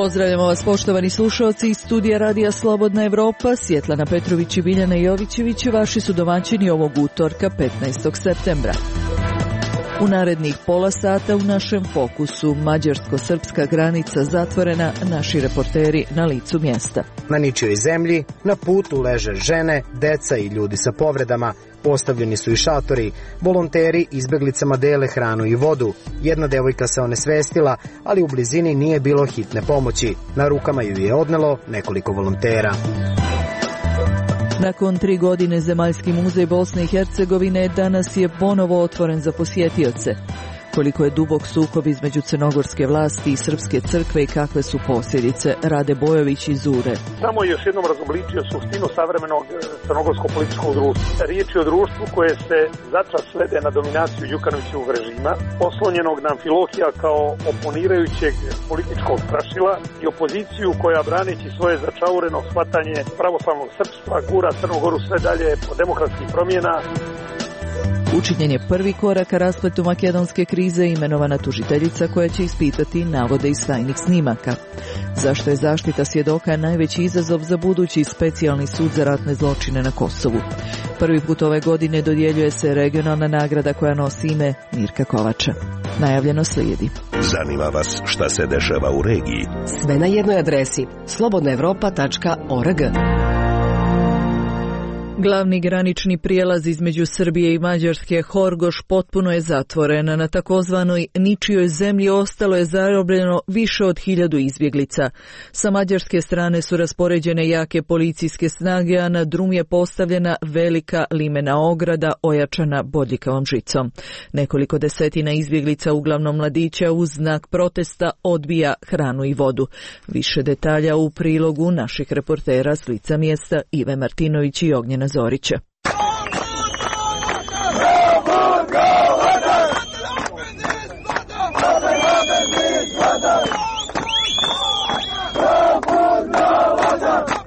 Pozdravljamo vas poštovani slušalci iz studija Radija Slobodna Evropa. Svjetlana Petrović i Biljana Jovićević vaši su domaćini ovog utorka 15. septembra. U narednih pola sata u našem fokusu mađarsko-srpska granica zatvorena, naši reporteri na licu mjesta. Na ničijoj zemlji na putu leže žene, deca i ljudi sa povredama. Postavljeni su i šatori, volonteri izbeglicama dele hranu i vodu. Jedna devojka se onesvestila, ali u blizini nije bilo hitne pomoći. Na rukama ju je odnelo nekoliko volontera. Nakon 3 godine Zemaljski muzej Bosne i Hercegovine danas je ponovo otvoren za posjetioce. Koliko je dubok sukob između crnogorske vlasti i srpske crkve i kakve su posljedice, Rade Bojović iz Ure. Samo je još jednom razobličio suštinu savremenog crnogorskog političkog društva. Riječ je o društvu koje se začas svede na dominaciju Đukanovićevog režima, oslonjenog na Amfilohija kao oponirajućeg političkog strašila i opoziciju koja, braneći svoje začaureno shvatanje pravoslavnog srpstva, gura Crnu Goru sve dalje po demokratskih promjena. Učinjen je prvi korak ka raspletu makedonske krize, imenovana tužiteljica koja će ispitati navode iz tajnih snimaka. Zašto je zaštita svjedoka najveći izazov za budući specijalni sud za ratne zločine na Kosovu? Prvi put ove godine dodjeljuje se regionalna nagrada koja nosi ime Mirka Kovača. Najavljeno slijedi. Zanima vas šta se dešava u regiji? Sve na jednoj adresi slobodnaevropa.org. Glavni granični prijelaz između Srbije i Mađarske, Horgoš, potpuno je zatvoren. Na takozvanoj ničijoj zemlji ostalo je zarobljeno više od 1000 izbjeglica. Sa mađarske strane su raspoređene jake policijske snage, a na drum je postavljena velika limena ograda ojačana bodljikavom žicom. Nekoliko desetina izbjeglica, uglavnom mladića, uz znak protesta odbija hranu i vodu. Više detalja u prilogu naših reportera s lica mjesta Ive Martinović i Ognjena Zorića.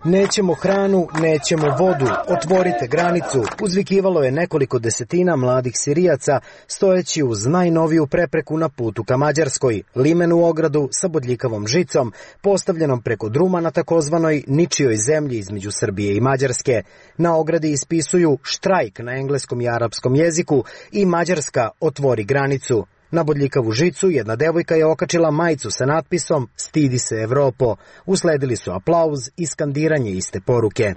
Nećemo hranu, nećemo vodu, otvorite granicu, uzvikivalo je nekoliko desetina mladih Sirijaca stojeći uz najnoviju prepreku na putu ka Mađarskoj, limenu ogradu sa bodljikavom žicom, postavljenom preko druma na takozvanoj ničijoj zemlji između Srbije i Mađarske. Na ogradi ispisuju štrajk na engleskom i arapskom jeziku i Mađarska otvori granicu. Na bodljikavu žicu jedna devojka je okačila majicu sa natpisom "Stidi se Evropo". Usledili su aplauz i skandiranje iste poruke.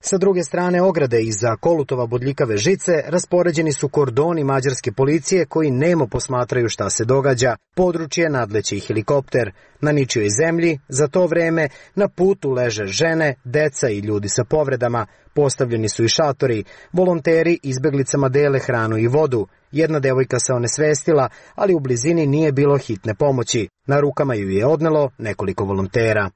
Sa druge strane ograde iza kolutova bodljikave žice raspoređeni su kordoni mađarske policije koji nemo posmatraju šta se događa. Područje nadleće i helikopter. Na ničijoj zemlji za to vreme na putu leže žene, deca i ljudi sa povredama. Postavljeni su i šatori, volonteri izbeglicama dele hranu i vodu. Jedna devojka se onesvestila, ali u blizini nije bilo hitne pomoći. Na rukama ju je odnelo nekoliko volontera.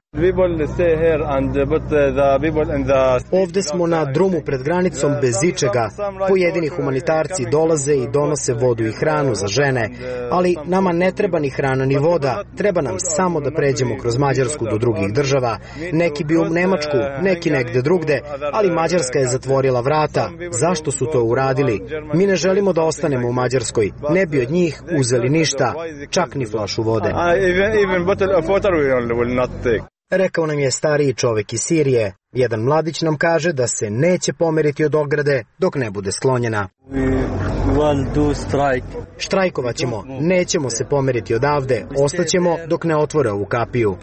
Ovde smo na drumu pred granicom bez ičega. Pojedini humanitarci dolaze i donose vodu i hranu za žene, ali nama ne treba ni hrana ni voda, treba nam samo da pređemo kroz Mađarsku do drugih država. Neki bi u Nemačku, neki negde drugde, ali Mađarska je zatvorila vrata. Zašto su to uradili? Mi ne želimo da ostanemo u Mađarskoj, ne bi od njih uzeli ništa, čak ni flašu vode. Rekao nam je stariji čovjek iz Sirije. Jedan mladić nam kaže da se neće pomeriti od ograde dok ne bude sklonjena. Štrajkovat ćemo, nećemo se pomeriti odavde, ostaćemo dok ne otvore ovu kapiju.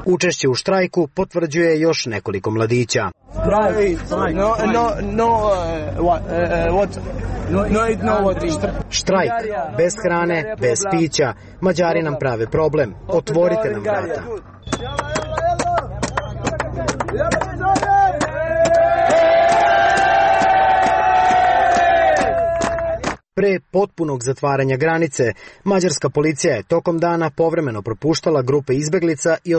Učešće u štrajku potvrđuje još nekoliko mladića. Štrajk, bez hrane, bez pića. Mađari nam prave problem, otvorite nam vrata. Pre potpunog zatvaranja granice, mađarska policija je tokom dana povremeno propuštala grupe izbeglica i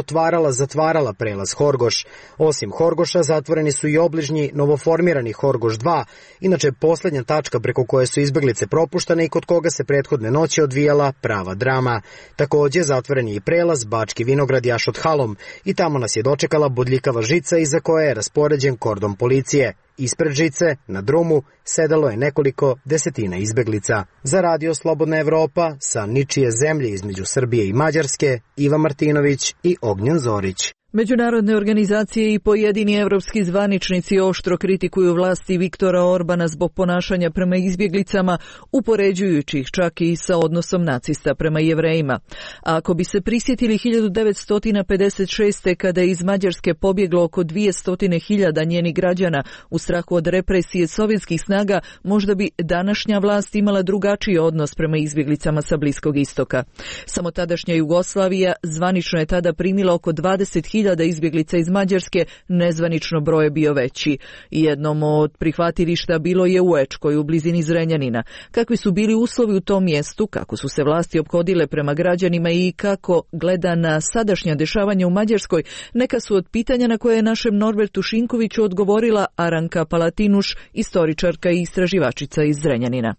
zatvarala prelaz Horgoš. Osim Horgoša, zatvoreni su i obližnji novoformirani Horgoš 2, inače posljednja tačka preko koje su izbeglice propuštane i kod koga se prethodne noći odvijala prava drama. Također zatvoren je i prelaz Bački Vinograd Jašot Halom i tamo nas je dočekala bodljikava žica iza koje je raspoređen kordon policije. Ispred žice, na drumu, sedalo je nekoliko desetina izbeglica. Za Radio Slobodna Evropa, sa ničije zemlje između Srbije i Mađarske, Iva Martinović i Ognjen Zorić. Međunarodne organizacije i pojedini evropski zvaničnici oštro kritikuju vlasti Viktora Orbana zbog ponašanja prema izbjeglicama, upoređujući ih čak i sa odnosom nacista prema Jevrejima. A ako bi se prisjetili 1956. kada je iz Mađarske pobjeglo oko 200.000 njenih građana u strahu od represije sovjetskih snaga, možda bi današnja vlast imala drugačiji odnos prema izbjeglicama sa Bliskog istoka. Samo tadašnja Jugoslavija zvanično je tada primila oko 20.000 izbjeglica iz Mađarske, nezvanično broj je bio veći. Jednom od prihvatilišta bilo je u Ečkoj, u blizini Zrenjanina. Kakvi su bili uslovi u tom mjestu, kako su se vlasti ophodile prema građanima i kako gleda na sadašnja dešavanja u Mađarskoj, neka su od pitanja na koje je našem Norbertu Šinkoviću odgovorila Aranka Palatinuš, istoričarka i istraživačica iz Zrenjanina.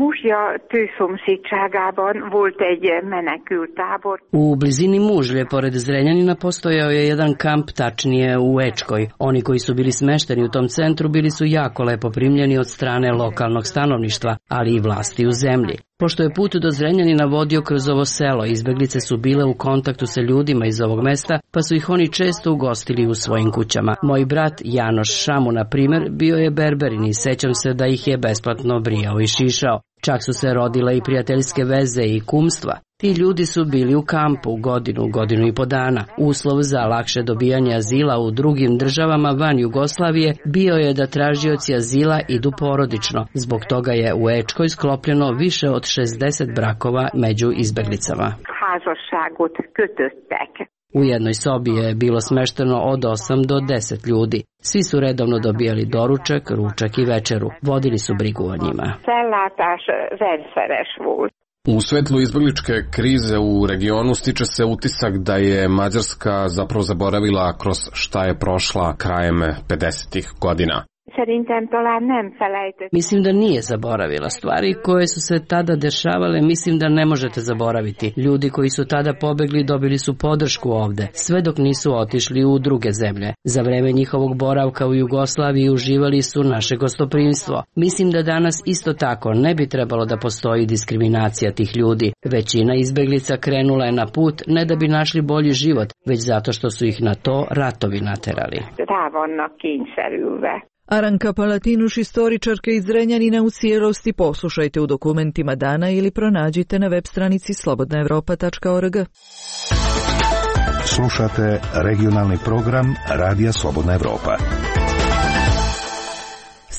Muzsja tőszomszédságában volt egy menekültábor. U blizini Mužlje, pored Zrenjanina, postojao je jedan kamp, tačnije u Ečkoj. Oni koji su bili smešteni u tom centru bili su jako lepo primljeni od strane lokalnog stanovništva, ali i vlasti u zemlji. Pošto je put do Zrenjanina vodio kroz ovo selo, izbeglice su bile u kontaktu sa ljudima iz ovog mesta, pa su ih oni često ugostili u svojim kućama. Moj brat Janoš Šamu, na primjer, bio je berberin i sećam se da ih je besplatno brijao i šišao. Čak su se rodile i prijateljske veze i kumstva. Ti ljudi su bili u kampu godinu i po dana. Uslov za lakše dobijanje azila u drugim državama van Jugoslavije bio je da tražioci azila idu porodično. Zbog toga je u Ečkoj sklopljeno više od 60 brakova među izbeglicama. U jednoj sobi je bilo smešteno od 8 do 10 ljudi. Svi su redovno dobijali doručak, ručak i večeru. Vodili su brigu o njima. U svetlu izbegličke krize u regionu stiče se utisak da je Mađarska zapravo zaboravila kroz šta je prošla krajem 50-ih godina. Mislim da nije zaboravila. Stvari koje su se tada dešavale mislim da ne možete zaboraviti. Ljudi koji su tada pobegli dobili su podršku ovde, sve dok nisu otišli u druge zemlje. Za vreme njihovog boravka u Jugoslaviji uživali su naše gostoprimstvo. Mislim da danas isto tako ne bi trebalo da postoji diskriminacija tih ljudi. Većina izbeglica krenula je na put ne da bi našli bolji život, već zato što su ih na to ratovi naterali. Aranka Palatinuš, istoričarka iz Zrenjanina, u cijelosti poslušajte u dokumentima dana ili pronađite na web stranici slobodnaevropa.org. Slušate regionalni program Radija Slobodna Evropa.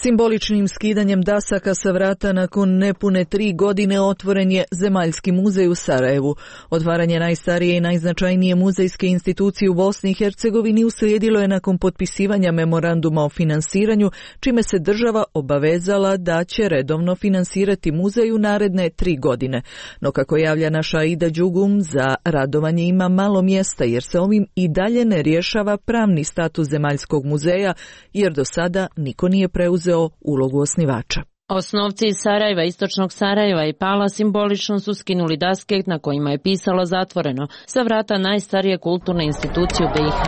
Simboličnim skidanjem dasaka sa vrata nakon nepune 3 godine otvoren je Zemaljski muzej u Sarajevu. Otvaranje najstarije i najznačajnije muzejske institucije u Bosni i Hercegovini uslijedilo je nakon potpisivanja memoranduma o finansiranju, čime se država obavezala da će redovno finansirati muzej u naredne 3 godine. No kako javlja naša Aida Đugum, za radovanje ima malo mjesta jer se ovim i dalje ne rješava pravni status Zemaljskog muzeja, jer do sada niko nije preuzeo ulogu osnivača. Osnovci iz Sarajeva, istočnog Sarajeva i Pala simbolično su skinuli daske na kojima je pisalo zatvoreno sa vrata najstarije kulturne institucije u BiH.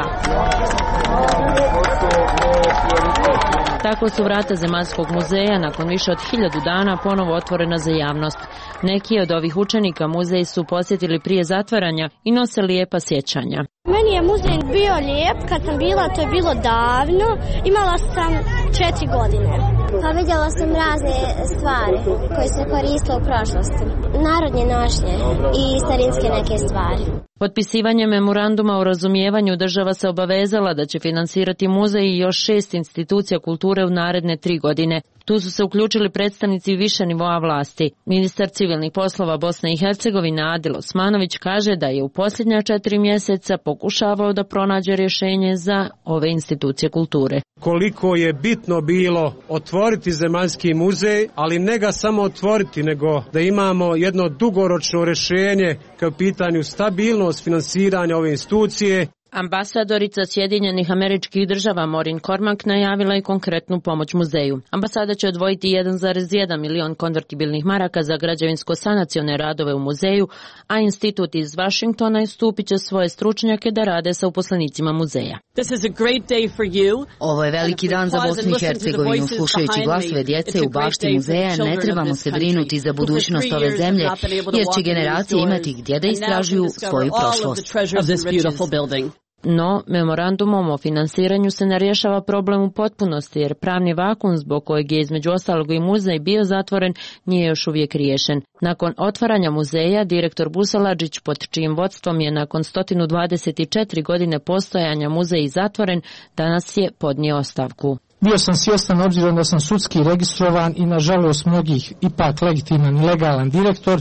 Tako su vrata Zemaljskog muzeja nakon više od 1000 dana ponovo otvorena za javnost. Neki od ovih učenika muzej su posjetili prije zatvaranja i nose lijepa sjećanja. Meni je muzej bio lijep, kad sam bila, to je bilo davno, imala sam 4 godine. Pa vidjela sam razne stvari koje se koristile u prošlosti, narodnje nošnje i starinske neke stvari. Potpisivanje memoranduma o razumijevanju država se obavezala da će finansirati muzej i još 6 institucija kulture u naredne 3 godine. Tu su se uključili predstavnici više nivoa vlasti. Ministar civilnih poslova Bosne i Hercegovine Adil Osmanović kaže da je u posljednja 4 mjeseca pokušavao da pronađe rješenje za ove institucije kulture. Koliko je bitno bilo otvoriti Zemaljski muzej, ali ne ga samo otvoriti, nego da imamo jedno dugoročno rješenje kao pitanju stabilnost finansiranja ove institucije. Ambasadorica Sjedinjenih Američkih Država Maureen Cormack najavila je konkretnu pomoć muzeju. Ambasada će odvojiti 1,1 milion konvertibilnih maraka za građevinsko-sanacione radove u muzeju, a institut iz Vašingtona stupit će svoje stručnjake da rade sa uposlenicima muzeja. Ovo je veliki dan za Bosnu i Hercegovinu. Slušajući glasove djece u bašti muzeja, ne trebamo se brinuti za budućnost ove zemlje, jer će generacije imati gdje da istražuju svoju prošlost. No, memorandumom o finansiranju se ne rješava problem u potpunosti, jer pravni vakum zbog kojeg je između ostalog i muzej bio zatvoren nije još uvijek riješen. Nakon otvaranja muzeja, direktor Busaladžić, pod čijim vodstvom je nakon 124 godine postojanja muzej zatvoren, danas je podnio ostavku. Bio sam svjestan, obzirom da sam sudski registrovan i nažalost mnogih ipak legitiman i legalan direktor,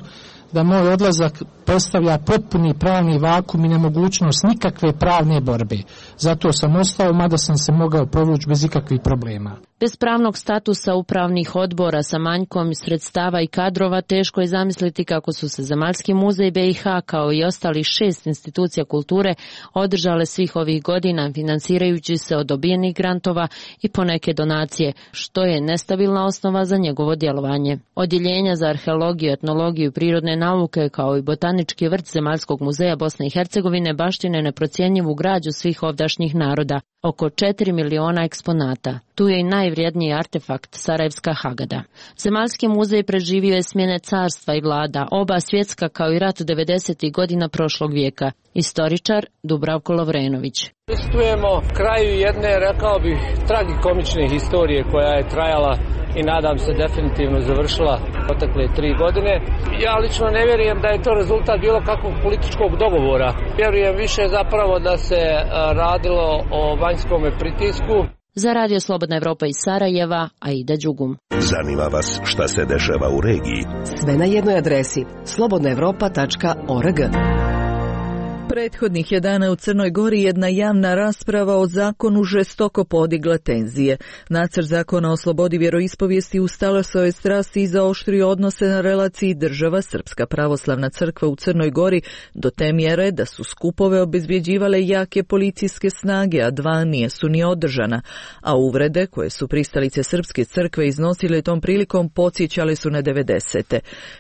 da moj odlazak predstavlja potpuni pravni vakum i nemogućnost nikakve pravne borbe. Zato sam ostao, mada sam se mogao provući bez ikakvih problema. Bez pravnog statusa upravnih odbora sa manjkom sredstava i kadrova teško je zamisliti kako su se Zemaljski muzej BiH kao i ostalih 6 institucija kulture održale svih ovih godina financirajući se od dobijenih grantova i poneke donacije, što je nestabilna osnova za njegovo djelovanje. Odjeljenja za arheologiju, etnologiju i prirodne nauke kao i botanički vrt Zemaljskog muzeja Bosne i Hercegovine baštine neprocjenjivu građu svih ovdašnjih naroda, oko 4 miliona eksponata. Tu je i najvrijedniji artefakt Sarajevska Hagada. Zemaljski muzej preživio je smjene carstva i vlada, oba svjetska kao i rat 90. godina prošlog vijeka. Istoričar Dubravko Lovrenović. Pristupujemo kraju jedne, rekao bih, tragikomične historije koja je trajala i nadam se definitivno završila protekle 3 godine. Ja lično ne vjerujem da je to rezultat bilo kakvog političkog dogovora. Vjerujem više zapravo da se radilo o vanjskom pritisku. Za Radio Slobodna Evropa iz Sarajeva, Aida Đugum. Zanima vas šta se dešava u regiji? Sve na jednoj adresi slobodnaevropa.org. Prethodnih je dana u Crnoj Gori jedna javna rasprava o zakonu žestoko podigla tenzije. Nacrt zakona o slobodi vjeroispovijesti ustala svoje strasti i zaoštrio odnose na relaciji država Srpska pravoslavna crkva u Crnoj Gori do te mjere da su skupove obezbjeđivale jake policijske snage, a 2 nisu ni održana. A uvrede koje su pristalice Srpske crkve iznosile tom prilikom podsjećale su na 90.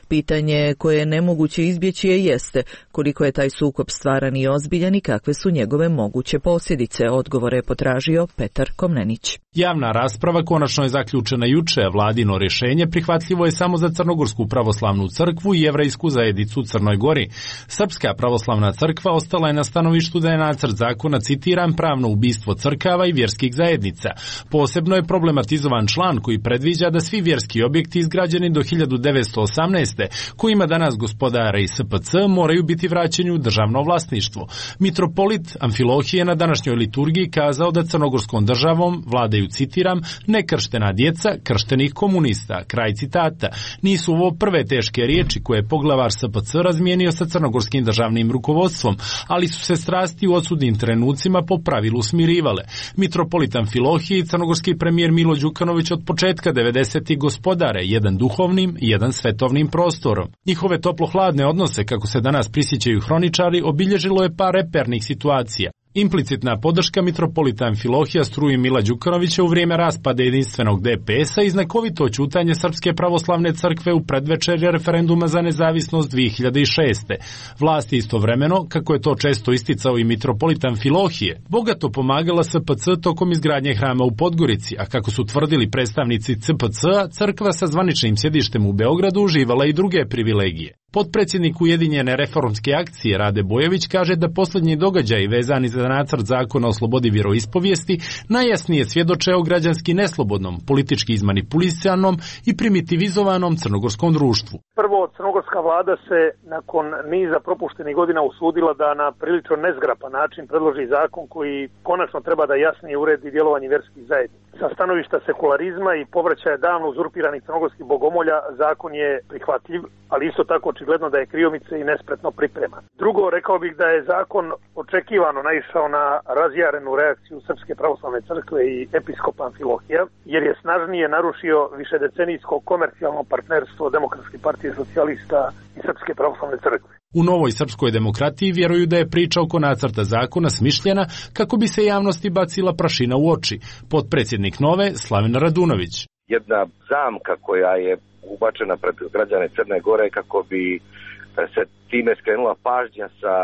Pitanje koje je nemoguće izbjeći jeste koliko je taj sukob stvaran i ozbiljan i kakve su njegove moguće posljedice, odgovore je potražio Petar Komnenić. Javna rasprava konačno je zaključena juče, a vladino rješenje prihvatljivo je samo za Crnogorsku pravoslavnu crkvu i jevrejsku zajednicu u Crnoj Gori. Srpska pravoslavna crkva ostala je na stanovištu da je nacrt zakona, citiram, pravno ubistvo crkava i vjerskih zajednica. Posebno je problematizovan član koji predviđa da svi vjerski objekti izgrađeni do 1918. kojima danas gospodare i SPC moraju biti vraćeni u državno vlasništvo. Mitropolit Amfilohije na današnjoj liturgiji kazao da crnogorskom državom vladaju, citiram, nekrštena djeca krštenih komunista, kraj citata. Nisu ovo prve teške riječi koje je poglavar SPC razmijenio sa crnogorskim državnim rukovodstvom, ali su se strasti u odsudnim trenucima po pravilu smirivale. Mitropolit Amfilohije i crnogorski premijer Milo Đukanović od početka 90. gospodare, jedan duhovnim i jedan svetovnim prostorom. Njihove toplo-hladne odnose, kako se danas prisjećaju hroničari, obilježilo je par repernih situacija. Implicitna podrška mitropolita Amfilohija struji Mila Đukanovića u vrijeme raspada jedinstvenog DPS-a i znakovito ćutanje Srpske pravoslavne crkve u predvečerje referenduma za nezavisnost 2006. Vlast je istovremeno, kako je to često isticao i mitropolit Amfilohije, bogato pomagala SPC tokom izgradnje hrama u Podgorici, a kako su tvrdili predstavnici CPC-a, crkva sa zvaničnim sjedištem u Beogradu uživala i druge privilegije. Potpredsjednik Ujedinjene reformske akcije Rade Bojević kaže da posljednji događaji vezani za nacrt zakona o slobodi vjeroispovijesti najjasnije svjedoče o građanski neslobodnom, politički izmanipulisanom i primitivizovanom crnogorskom društvu. Prvo, crnogorska vlada se nakon niza propuštenih godina usudila da na prilično nezgrapan način predloži zakon koji konačno treba da jasnije uredi djelovanje vjerskih zajednica. Sa stanovišta sekularizma i povraćaja davno uzurpiranih crnogorskih bogomolja zakon je prihvatljiv, ali isto tako očigledno da je kriomice i nespretno pripreman. Drugo, rekao bih da je zakon očekivano naišao na razjarenu reakciju Srpske pravoslavne crkve i episkopa Amfilohija, jer je snažnije narušio višedecenijsko komercijalno partnerstvo Demokratske partije socijalista i Srpske pravoslavne crkve. U Novoj srpskoj demokratiji vjeruju da je priča oko nacrta zakona smišljena kako bi se javnosti bacila prašina u oči. Potpredsjednik Nove, Slaven Radunović. Jedna zamka koja je ubačena pred građane Crne Gore kako bi se time skrenula pažnja sa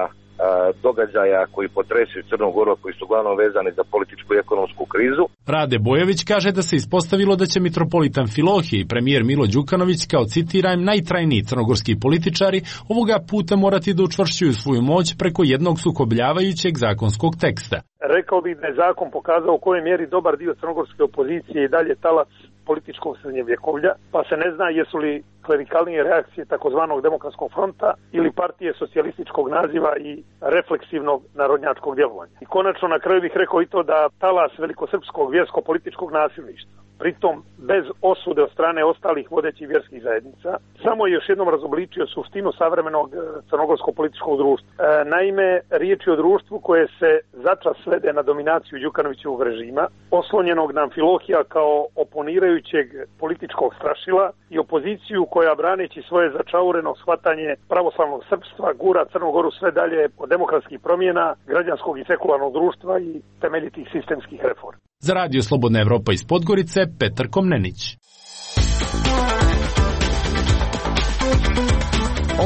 događaja koji potresuju Crnu Goru, koji su uglavnom vezani za političku i ekonomsku krizu. Rade Bojović kaže da se ispostavilo da će mitropolitan Filohije i premijer Milo Đukanović, kao citiram, najtrajniji crnogorski političari, ovoga puta morati da učvršćuju svoju moć preko jednog sukobljavajućeg zakonskog teksta. Rekao bih da je zakon pokazao u kojoj mjeri dobar dio crnogorske opozicije i dalje talac političkog srednjevjekovlja, pa se ne zna jesu li klerikalnije reakcije takozvanog demokratskog fronta ili partije socijalističkog naziva i refleksivnog narodnjačkog djelovanja. I konačno na kraju bih rekao i to da talas velikosrpskog vjersko-političkog nasilništva, pritom bez osude od strane ostalih vodećih vjerskih zajednica, samo je još jednom razobličio suštinu savremenog crnogorskog političkog društva. Naime, riječ je o društvu koje se začas svede na dominaciju Đukanovićevog režima, oslonjenog na Amfilohija kao oponirajućeg političkog strašila i opoziciju koja, braneći svoje začaureno shvatanje pravoslavnog srpstva, gura Crnu Goru sve dalje od demokratskih promjena, građanskog i sekularnog društva i temeljitih sistemskih reformi. Za Radio Slobodna Evropa iz Podgorice, Petar Komnenić.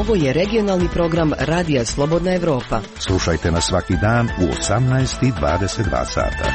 Ovo je regionalni program Radija Slobodna Evropa. Slušajte nas svaki dan u 18:22 sata.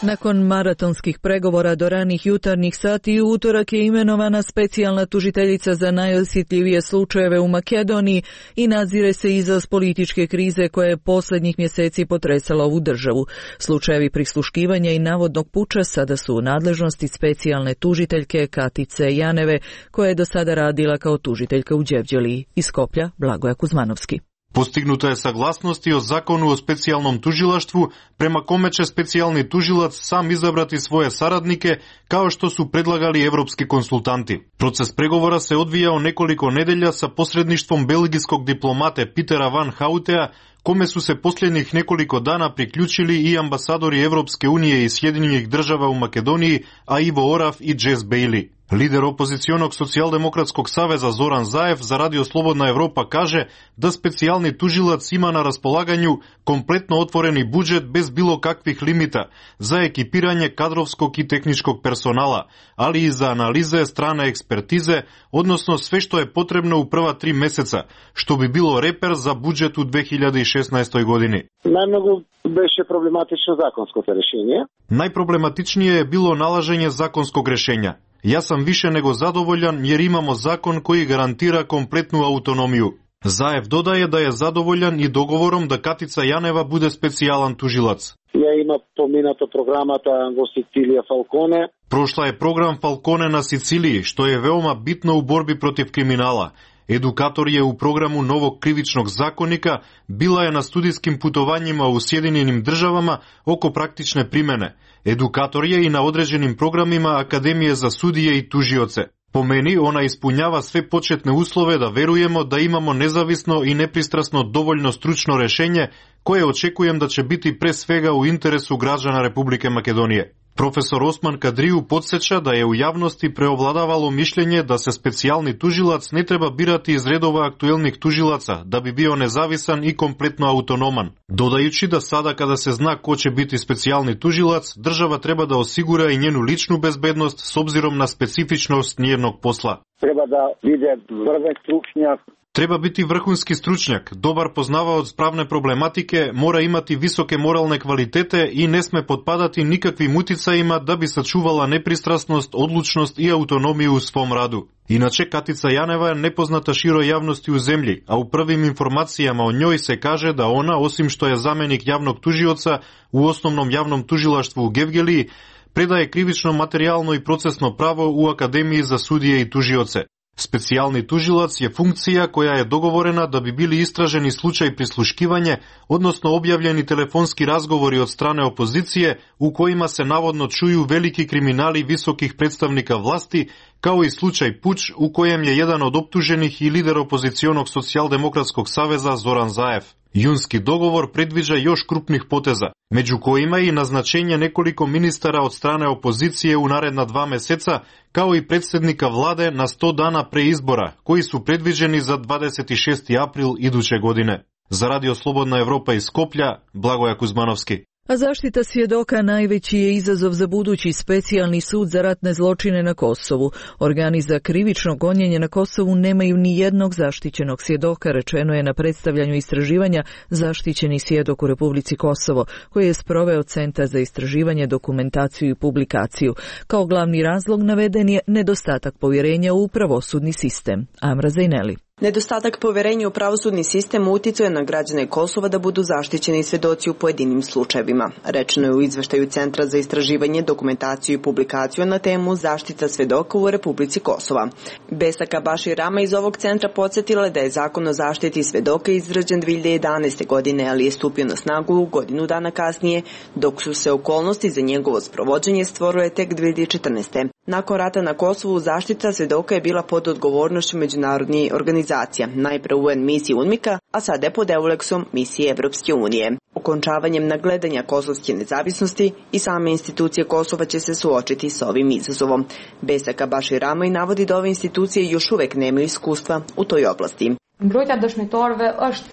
Nakon maratonskih pregovora do ranih jutarnjih sati u utorak je imenovana specijalna tužiteljica za najosjetljivije slučajeve u Makedoniji i nadzire se izraz političke krize koja je posljednjih mjeseci potresala ovu državu. Slučajevi prisluškivanja i navodnog puča sada su u nadležnosti specijalne tužiteljke Katice Janeve, koja je do sada radila kao tužiteljka u Đevđeliji. Iz Skoplja, Blagoja Kuzmanovski. Postignuta je saglasnost i o zakonu o specijalnom tužilaštvu, prema kome će specijalni tužilac sam izabrati svoje saradnike, kao što su predlagali evropski konsultanti. Proces pregovora se odvijao nekoliko nedelja sa posredništvom belgijskog diplomate Petera Van Houtea, kome su se posljednjih nekoliko dana priključili i ambasadori Evropske unije i Sjedinjenih država u Makedoniji, a Ivo Oraf i Jess Bailey. Lider opozicionog socijaldemokratskog saveza Zoran Zaev za Radio Slobodna Evropa kaže da specijalni tužilac ima na raspolaganju kompletno otvoreni budžet bez bilo kakvih limita za ekipiranje kadrovskog i tehničkog personala, ali i za analize strane ekspertize, odnosno sve što je potrebno u prva 3 mjeseca, što bi bilo reper za budžet u 2016. godini. Najmnogo beše problematično zakonsko rješenje. Najproblematičnije je bilo nalaženje zakonskog rješenja. Ja sam više nego zadovoljan jer imamo zakon koji garantira kompletnu autonomiju. Zaev dodaje da je zadovoljan i dogovorom da Katica Janeva bude specijalan tužilac. Ja ima pominato programata во Sicilija Falcone. Prošla je program Falcone na Siciliji, što je veoma bitno u borbi protiv kriminala. Edukator je u programu novog krivičnog zakonika, bila je na studijskim putovanjima u Sjedinjenim državama oko praktične primjene. Edukator je i na određenim programima Akademije za sudije i tužioce. Po meni ona ispunjava sve početne uslove da verujemo da imamo nezavisno i nepristrasno dovoljno stručno rješenje koje očekujem da će biti pre svega u interesu građana Republike Makedonije. Profesor Osman Kadriju podsjeća da je u javnosti preovladavalo mišljenje da se specijalni tužilac ne treba birati iz redova aktuelnih tužilaca, da bi bio nezavisan i kompletno autonoman. Dodajući da sada kada se zna ko će biti specijalni tužilac, država treba da osigura i njenu ličnu bezbednost s obzirom na specifičnost njenog posla. Treba da vide vrven stručnjak. Treba biti vrhunski stručnjak, dobar poznavaoc pravne problematike, mora imati visoke moralne kvalitete i ne sme potpadati nikakvim uticajima da bi sačuvala nepristrasnost, odlučnost i autonomiju u svom radu. Inače, Katica Janeva je nepoznata široj javnosti u zemlji, a u prvim informacijama o njoj se kaže da ona, osim što je zamjenik javnog tužioca u osnovnom javnom tužilaštvu u Gevgeliji, predaje krivično, materijalno i procesno pravo u Akademiji za sudije i tužioce. Specijalni tužilac je funkcija koja je dogovorena da bi bili istraženi slučaj prisluškivanje, odnosno objavljeni telefonski razgovori od strane opozicije u kojima se navodno čuju veliki kriminali visokih predstavnika vlasti, kao i slučaj puč u kojem je jedan od optuženih i lider opozicionog socijaldemokratskog saveza Zoran Zaev. Junski dogovor predviđa još krupnih poteza, među kojima i naznačenje nekoliko ministara od strane opozicije u naredna 2 meseca, kao i predsjednika vlade na 100 dana pre izbora, koji su predviđeni za 26. april iduće godine. Za Radio Slobodna Evropa iz Skoplja, Blagoja Kuzmanovski. A zaštita svjedoka najveći je izazov za budući specijalni sud za ratne zločine na Kosovu. Organi za krivično gonjenje na Kosovu nemaju ni jednog zaštićenog svjedoka, rečeno je na predstavljanju istraživanja Zaštićeni svjedok u Republici Kosovo, koji je sproveo Centar za istraživanje, dokumentaciju i publikaciju. Kao glavni razlog naveden je nedostatak povjerenja u pravosudni sistem. Amra Zajneli. Nedostatak povjerenja u pravosudni sistem uticao je na građane Kosova da budu zaštićeni svjedoci u pojedinim slučajevima. Rečeno je u izveštaju Centra za istraživanje, dokumentaciju i publikaciju na temu Zaštita svjedoka u Republici Kosova. Besaka Bašir Rama iz ovog centra podsjetila da je zakon o zaštiti svjedoka izrađen 2011. godine, ali je stupio na snagu godinu dana kasnije, dok su se okolnosti za njegovo sprovođenje stvorile tek 2014. Nakon rata na Kosovu zaštita svjedoka je bila pod odgovornošću međunarodnih organizacija, najpre UN misije UNMIK-a, a sada je pod EULEX-om misije Evropske unije. Okončavanjem nagledanja kosovske nezavisnosti i same institucije Kosova će se suočiti s ovim izazovom. Besaka Bašir Rama i navodi da ove institucije još uvek nemaju iskustva u toj oblasti.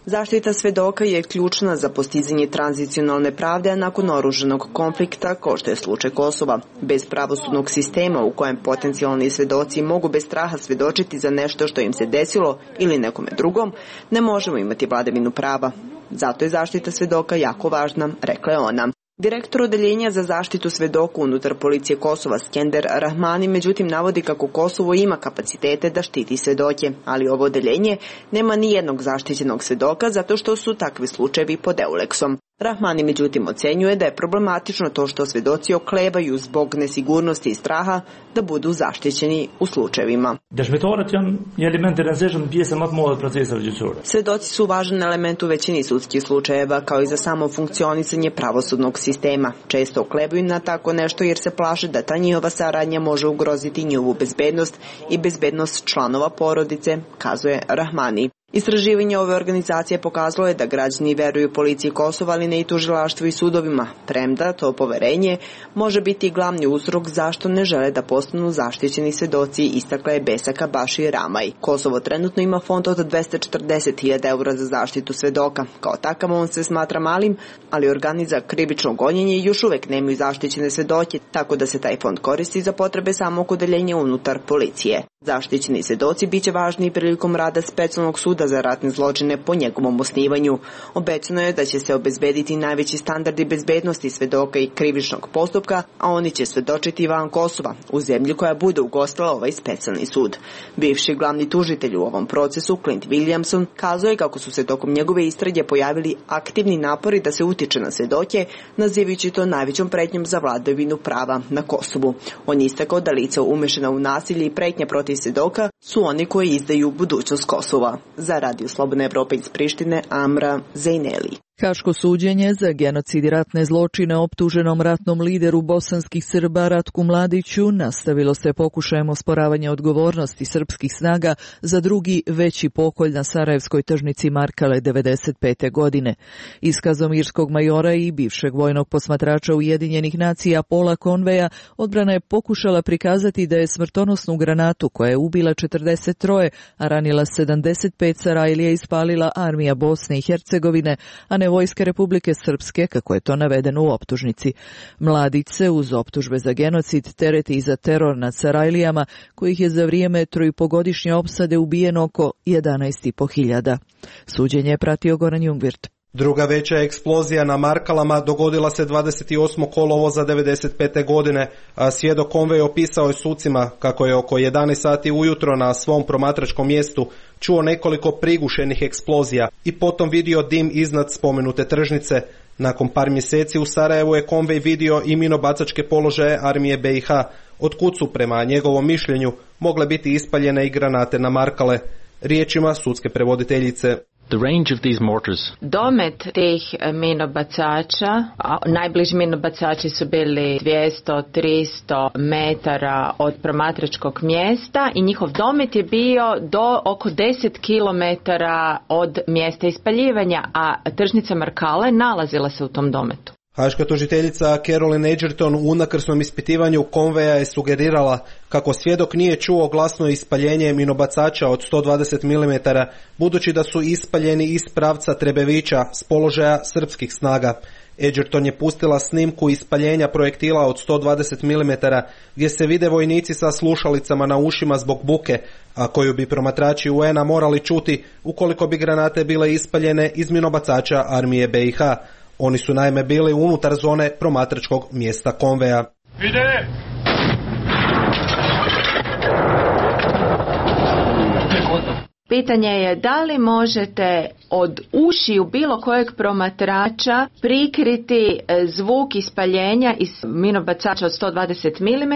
Zaštita svedoka je ključna za postizanje tranzicionalne pravde nakon oružanog konflikta, kao što je slučaj Kosova. Bez pravosudnog sistema u kojem potencijalni svedoci mogu bez straha svedočiti za nešto što im se desilo ili nekome drugom, ne možemo imati vladavinu prava. Zato je zaštita svedoka jako važna, rekla je ona. Direktor odeljenja za zaštitu svedoka unutar policije Kosova Skender Rahmani međutim navodi kako Kosovo ima kapacitete da štiti svedoke, ali ovo odeljenje nema ni jednog zaštićenog svedoka zato što su takvi slučajevi pod EULEX-om. Rahmani međutim ocenjuje da je problematično to što svedoci oklevaju zbog nesigurnosti i straha da budu zaštićeni u slučajevima. Svedoci su važan element u većini sudskih slučajeva, kao i za samo funkcionisanje pravosudnog sistema. Često oklevaju na tako nešto jer se plaše da ta njihova saradnja može ugroziti njihovu bezbednost i bezbednost članova porodice, kazuje Rahmani. Istraživanje ove organizacije pokazalo je da građani veruju policiji Kosova, ali ne i tužilaštvu i sudovima, premda to poverenje može biti glavni uzrok zašto ne žele da postanu zaštićeni svedoci, istakla je Besaka Bašir Ramaj. Kosovo trenutno ima fond od 240.000 eura za zaštitu svedoka. Kao takav on se smatra malim, ali organi za krivično gonjenje još uvek nemaju zaštićene svedoke, tako da se taj fond koristi za potrebe samog odeljenja unutar policije. Zaštićeni svedoci biće važni prilikom rada specijalnog suda za ratne zločine po njegovom osnivanju. Obećano je da će se obezbediti najveći standardi bezbednosti svedoka i krivičnog postupka, a oni će svedočiti van Kosova, u zemlji koja bude ugostila ovaj specijalni sud. Bivši glavni tužitelj u ovom procesu, Clint Williamson, kazao je kako su se tokom njegove istrage pojavili aktivni napori da se utiče na svedoke, nazivajući to najvećom pretnjom za vladavinu prava na Kosovu. On je istakao da lica umešana u nasilje i pretnje protiv svedoka su oni koji izdaju budućnost Kosova. Za Radio Slobodna Evropa iz Prištine, Amra Zajneli. Haško suđenje za genocid i ratne zločine optuženom ratnom lideru bosanskih Srba Ratku Mladiću nastavilo se pokušajem osporavanja odgovornosti srpskih snaga za drugi veći pokolj na sarajevskoj tržnici Markale 1995. godine. Iskazom irskog majora i bivšeg vojnog posmatrača Ujedinjenih nacija Paula Conveya odbrana je pokušala prikazati da je smrtonosnu granatu koja je ubila 43, a ranila 75 Sarajlija ispalila armija Bosne i Hercegovine, a ne vojske Republike Srpske, kako je to navedeno u optužnici. Mladić se uz optužbe za genocid tereti i za teror nad Sarajlijama, kojih je za vrijeme 3,5-godišnje opsade ubijeno oko 11.500. Suđenje je pratio Goran Jungwirth. Druga veća eksplozija na Markalama dogodila se 28. kolovoza 1995. godine, a svjedok Conway opisao je sucima kako je oko 11 sati ujutro na svom promatračkom mjestu čuo nekoliko prigušenih eksplozija i potom vidio dim iznad spomenute tržnice. Nakon par mjeseci u Sarajevu je Conway vidio i minobacačke položaje armije BiH, otkud su prema njegovom mišljenju mogle biti ispaljene i granate na Markale. Riječima sudske prevoditeljice. Domet tih minobacača, najbliži minobacači su bili 200-300 metara od promatračkog mjesta i njihov domet je bio do oko 10 kilometara od mjesta ispaljivanja, a tržnica Markale nalazila se u tom dometu. Haška tužiteljica Caroline Edgerton u unakrsnom ispitivanju konveja je sugerirala kako svjedok nije čuo glasno ispaljenje minobacača od 120 mm, budući da su ispaljeni iz pravca Trebevića s položaja srpskih snaga. Edgerton je pustila snimku ispaljenja projektila od 120 mm gdje se vide vojnici sa slušalicama na ušima zbog buke, a koju bi promatrači UN-a morali čuti ukoliko bi granate bile ispaljene iz minobacača armije BiH. Oni su naime bili unutar zone promatračkog mjesta konveja. Ide! Pitanje je da li možete od ušiju bilo kojeg promatrača prikriti zvuk ispaljenja iz minobacača od 120 mm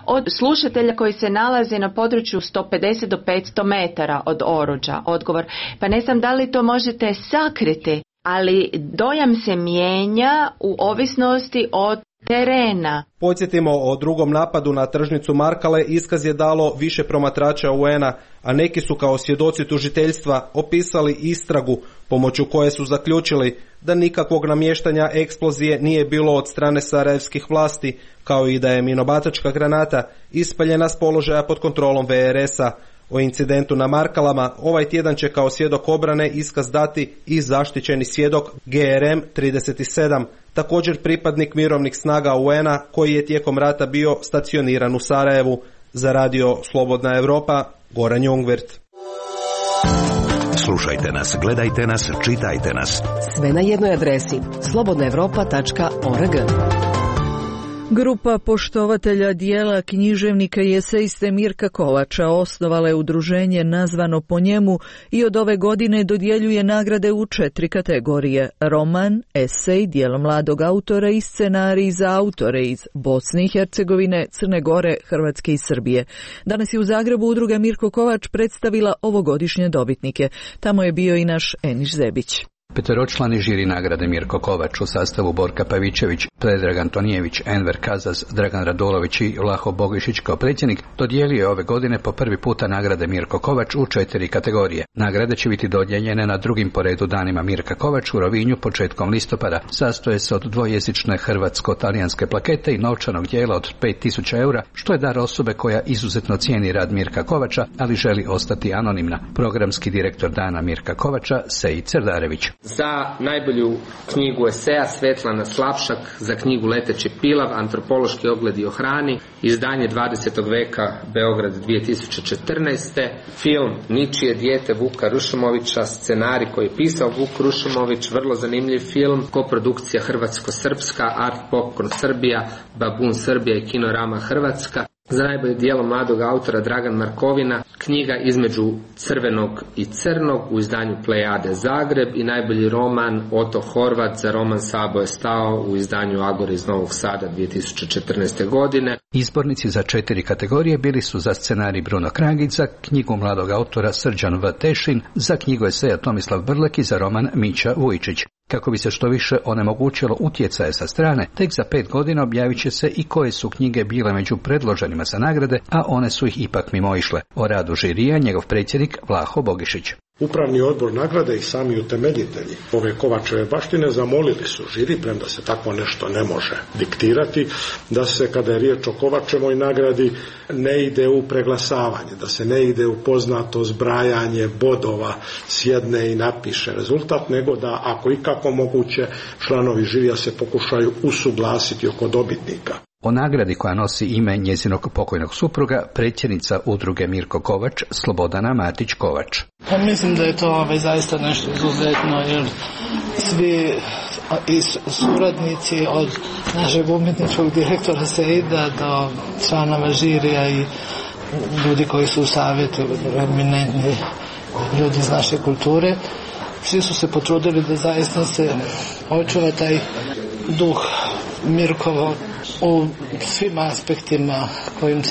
od slušatelja koji se nalazi na području 150 do 500 metara od oruđa. Odgovor, pa ne znam da li to možete sakriti, ali dojam se mijenja u ovisnosti od terena. Podsjetimo, o drugom napadu na tržnicu Markale iskaz je dalo više promatrača UN-a, a neki su kao svjedoci tužiteljstva opisali istragu pomoću koje su zaključili da nikakvog namještanja eksplozije nije bilo od strane sarajevskih vlasti, kao i da je minobacačka granata ispaljena s položaja pod kontrolom VRS-a. O incidentu na Markalama ovaj tjedan će kao svjedok obrane iskaz dati i zaštićeni svjedok GRM 37, također pripadnik mirovnih snaga UN-a koji je tijekom rata bio stacioniran u Sarajevu. Za radio Slobodna Europa, Goran Jungwirth. Slušajte nas, gledajte nas, čitajte nas. Sve na jednoj adresi slobodnaevropa.org. Grupa poštovatelja dijela književnika i esejiste Mirka Kovača osnovala je udruženje nazvano po njemu i od ove godine dodjeljuje nagrade u 4 kategorije: roman, esej, djelo mladog autora i scenarij za autore iz Bosne i Hercegovine, Crne Gore, Hrvatske i Srbije. Danas je u Zagrebu udruga Mirko Kovač predstavila ovogodišnje dobitnike. Tamo je bio i naš Eniš Zebić. Peteročlani žiri nagrade Mirko Kovač u sastavu Borka Pavićević, Predrag Antonijević, Enver Kazaz, Dragan Radolović i Vlaho Bogišić kao predsjednik dodijelio je ove godine po prvi puta nagrade Mirko Kovač u 4 kategorije. Nagrade će biti dodijeljene na drugim po redu danima Mirka Kovač u Rovinju početkom listopada. Sastoje se od dvojezične hrvatsko-talijanske plakete i novčanog dijela od 5000 eura, što je dar osobe koja izuzetno cijeni rad Mirka Kovača, ali želi ostati anonimna. Programski direktor dana Mirka Kovača, Sejid Cerdarević. Za najbolju knjigu eseja Svetlana Slapšak, za knjigu Leteći pilav, antropološki ogledi o hrani, izdanje 20. veka, Beograd 2014. Film Ničije dijete Vuka Rušumovića, scenarij koji je pisao Vuk Rušumović, vrlo zanimljiv film, koprodukcija Hrvatsko-Srpska, Art Popcorn Srbija, Babun Srbija i Kinorama Hrvatska. Za najbolje djelo mladog autora Dragan Markovina, knjiga Između crvenog i crnog u izdanju Plejade Zagreb i najbolji roman Oto Horvat za roman Sabo je stao u izdanju Agore iz Novog Sada 2014. godine. Izbornici za 4 kategorije bili su za scenarij Bruno Kragić, za knjigu mladog autora Srđan V. Tešin, za knjigu eseja Tomislav Brlek i za roman Mića Vujičić. Kako bi se što više onemogućilo utjecaje sa strane, tek za 5 godina objavit će se i koje su knjige bile među predloženima za nagrade, a one su ih ipak mimoišle. O radu žirija njegov predsjednik Vlaho Bogišić. Upravni odbor nagrade i sami utemeljitelji ove Kovačeve baštine zamolili su žiri, premda se tako nešto ne može diktirati, da se kada je riječ o Kovačevoj nagradi ne ide u preglasavanje, da se ne ide u poznato zbrajanje bodova, sjedne i napiše rezultat, nego da ako ikako moguće članovi žirija se pokušaju usuglasiti oko dobitnika. O nagradi koja nosi ime njezinog pokojnog supruga, predsjednica udruge Mirko Kovač, Slobodana Matić Kovač. Pa mislim da je to zaista nešto izuzetno, jer svi i suradnici od našeg umjetničkog direktora Seida do članova žirija i ljudi koji su u savjetu, eminentni ljudi iz naše kulture, svi su se potrudili da zaista se očuva taj duh Mirkovo u svim aspektima kojim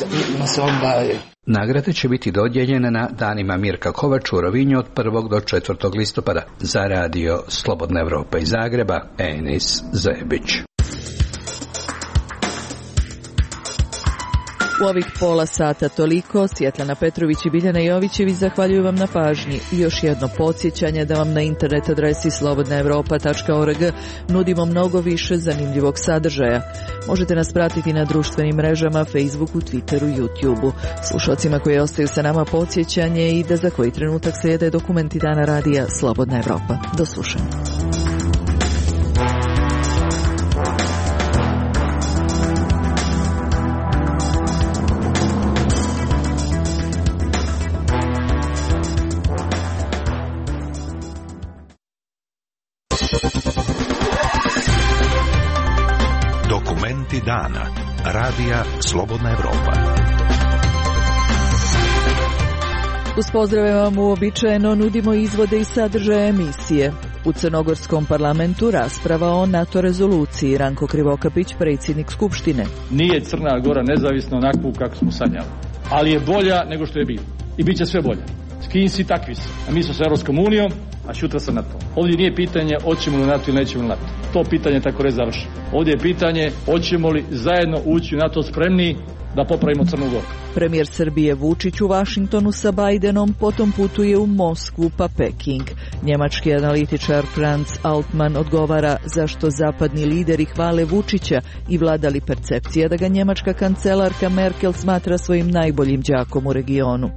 se on bavi. Nagrade će biti dodijeljene na danima Mirka Kovača u Rovinju od 1. do 4. listopada. Za radio Slobodna Evropa iz Zagreba, Enis Zebić. U ovih pola sata toliko. Svjetlana Petrović i Biljana Jovićević zahvaljuju vam na pažnji. I još jedno podsjećanje da vam na internet adresi slobodnaevropa.org nudimo mnogo više zanimljivog sadržaja. Možete nas pratiti na društvenim mrežama, Facebooku, Twitteru, YouTubeu. Slušalcima koji ostaju sa nama podsjećanje i da za koji trenutak slijede dokumenti dana radija Slobodna Evropa. Do slušanja. Dokumenti dana. Radija Slobodna Evropa. Uz pozdrave vam uobičajeno nudimo izvode i sadržaje emisije. U Crnogorskom parlamentu rasprava o NATO rezoluciji. Ranko Krivokapić, predsjednik Skupštine. Nije Crna Gora nezavisna onakvu kako smo sanjali, ali je bolja nego što je bilo. I bit će sve bolje. S kim si, takvi si. A mi smo sa Europskom unijom, a šutra sa NATO. Ovdje nije pitanje hoćemo li NATO ili nećemo li NATO. To pitanje tako reći završi. Ovdje je pitanje hoćemo li zajedno ući u NATO spremni da popravimo Crnu Goru. Premijer Srbije Vučić u Vašingtonu sa Bajdenom, potom putuje u Moskvu pa Peking. Njemački analitičar Franz Altmann odgovara zašto zapadni lideri hvale Vučića i vlada li percepcija da ga njemačka kancelarka Merkel smatra svojim najboljim đakom u regionu.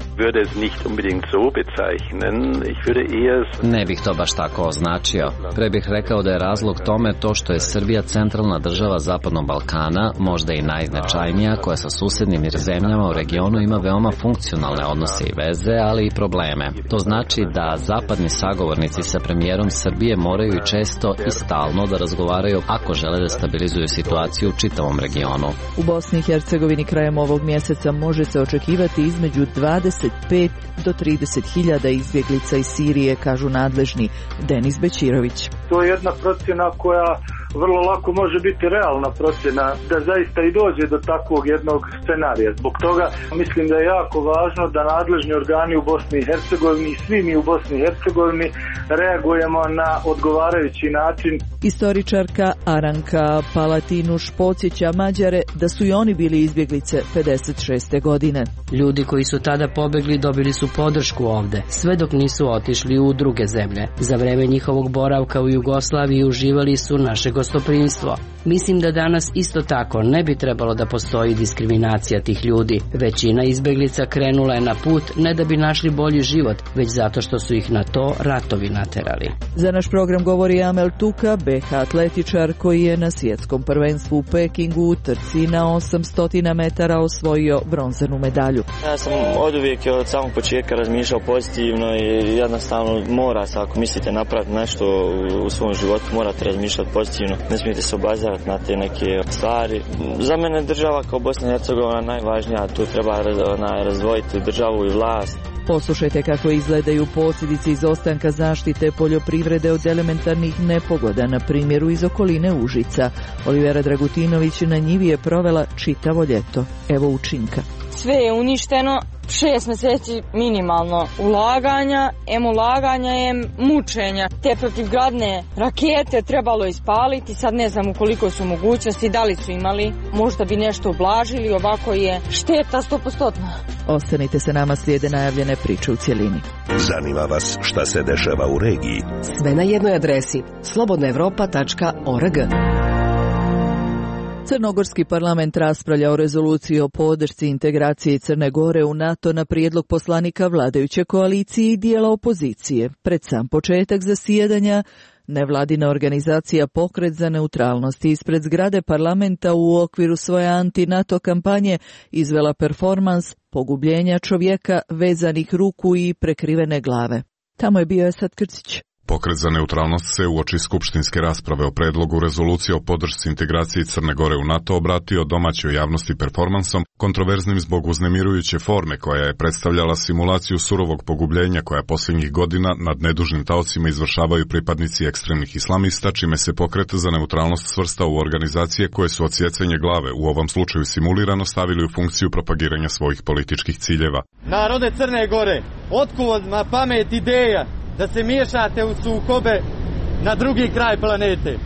Ne bih to baš tako označio. Pre bih rekao da je razlog tome to što je Srbija centralna država Zapadnog Balkana, možda i najznačajnija, koja sa susednim zemljama u regionu ima veoma funkcionalne odnose i veze, ali i probleme. To znači da zapadni sagovornici sa premijerom Srbije moraju i često i stalno da razgovaraju ako žele da stabilizuju situaciju u čitavom regionu. U Bosni i Hercegovini krajem ovog mjeseca može se očekivati između 25 do 30.000 izbjeglica iz Sirije, kažu nadležni. Denis Bećirović. To je jedna procjena koja vrlo lako može biti realna procjena da zaista i dođe do takvog jednog scenarija. Zbog toga mislim da je jako važno da nadležni organi u Bosni i Hercegovini i svi mi u Bosni i Hercegovini reagujemo na odgovarajući način. Istoričarka Aranka Palatinuš podsjeća Mađare da su i oni bili izbjeglice 56. godine. Ljudi koji su tada pobegli dobili su podršku ovde, sve dok nisu otišli u druge zemlje. Za vreme njihovog boravka u Jugoslaviji uživali su naše gostoprimstvo. Mislim da danas isto tako ne bi trebalo da postoji diskriminacija tih ljudi. Većina izbeglica krenula je na put ne da bi našli bolji život, već zato što su ih na to ratovi naterali. Za naš program govori Amel Tuka, BH atletičar koji je na svjetskom prvenstvu u Pekingu u trci na 800 metara osvojio bronzanu medalju. Ja sam oduvijek od samog početka razmišljao pozitivno i jednostavno mora se, ako mislite napraviti nešto u svom životu, morate razmišljati pozitivno. Ne smijete se obazirati na te neke stvari. Za mene država kao Bosna i Hercegovina najvažnija, tu treba razdvojiti državu i vlast. Poslušajte kako izgledaju posljedice izostanka zaštite poljoprivrede od elementarnih nepogoda, na primjeru iz okoline Užica. Olivera Dragutinović na njivi je provela čitavo ljeto. Evo učinka. Sve je uništeno, 6 mjeseci minimalno ulaganja, ulaganja je mučenja. Te protivgradne rakete trebalo ispaliti, sad ne znam u koliko su mogućnosti, da li su imali, možda bi nešto ublažili, ovako je šteta 100%. Ostanite sa nama, slijede najavljene priče u cjelini. Zanima vas šta se dešava u regiji? Sve na jednoj adresi, slobodnaevropa.org. Crnogorski parlament raspravlja o rezoluciji o podršci integracije Crne Gore u NATO na prijedlog poslanika vladajuće koalicije i dijela opozicije. Pred sam početak zasjedanja, nevladina organizacija Pokret za neutralnost ispred zgrade parlamenta u okviru svoje anti-NATO kampanje izvela performans pogubljenja čovjeka vezanih ruku i prekrivene glave. Tamo je bio Esad Krcić. Pokret za neutralnost se uoči skupštinske rasprave o predlogu rezolucije o podršci integraciji Crne Gore u NATO obratio domaćoj javnosti performansom, kontroverznim zbog uznemirujuće forme koja je predstavljala simulaciju surovog pogubljenja koja posljednjih godina nad nedužnim taocima izvršavaju pripadnici ekstremnih islamista, čime se Pokret za neutralnost svrstao u organizacije koje su odsjecanje glave, u ovom slučaju simulirano, stavili u funkciju propagiranja svojih političkih ciljeva. Narode Crne Gore, otkud vam pamet ideja da se miješate u sukobe na drugi kraj planete?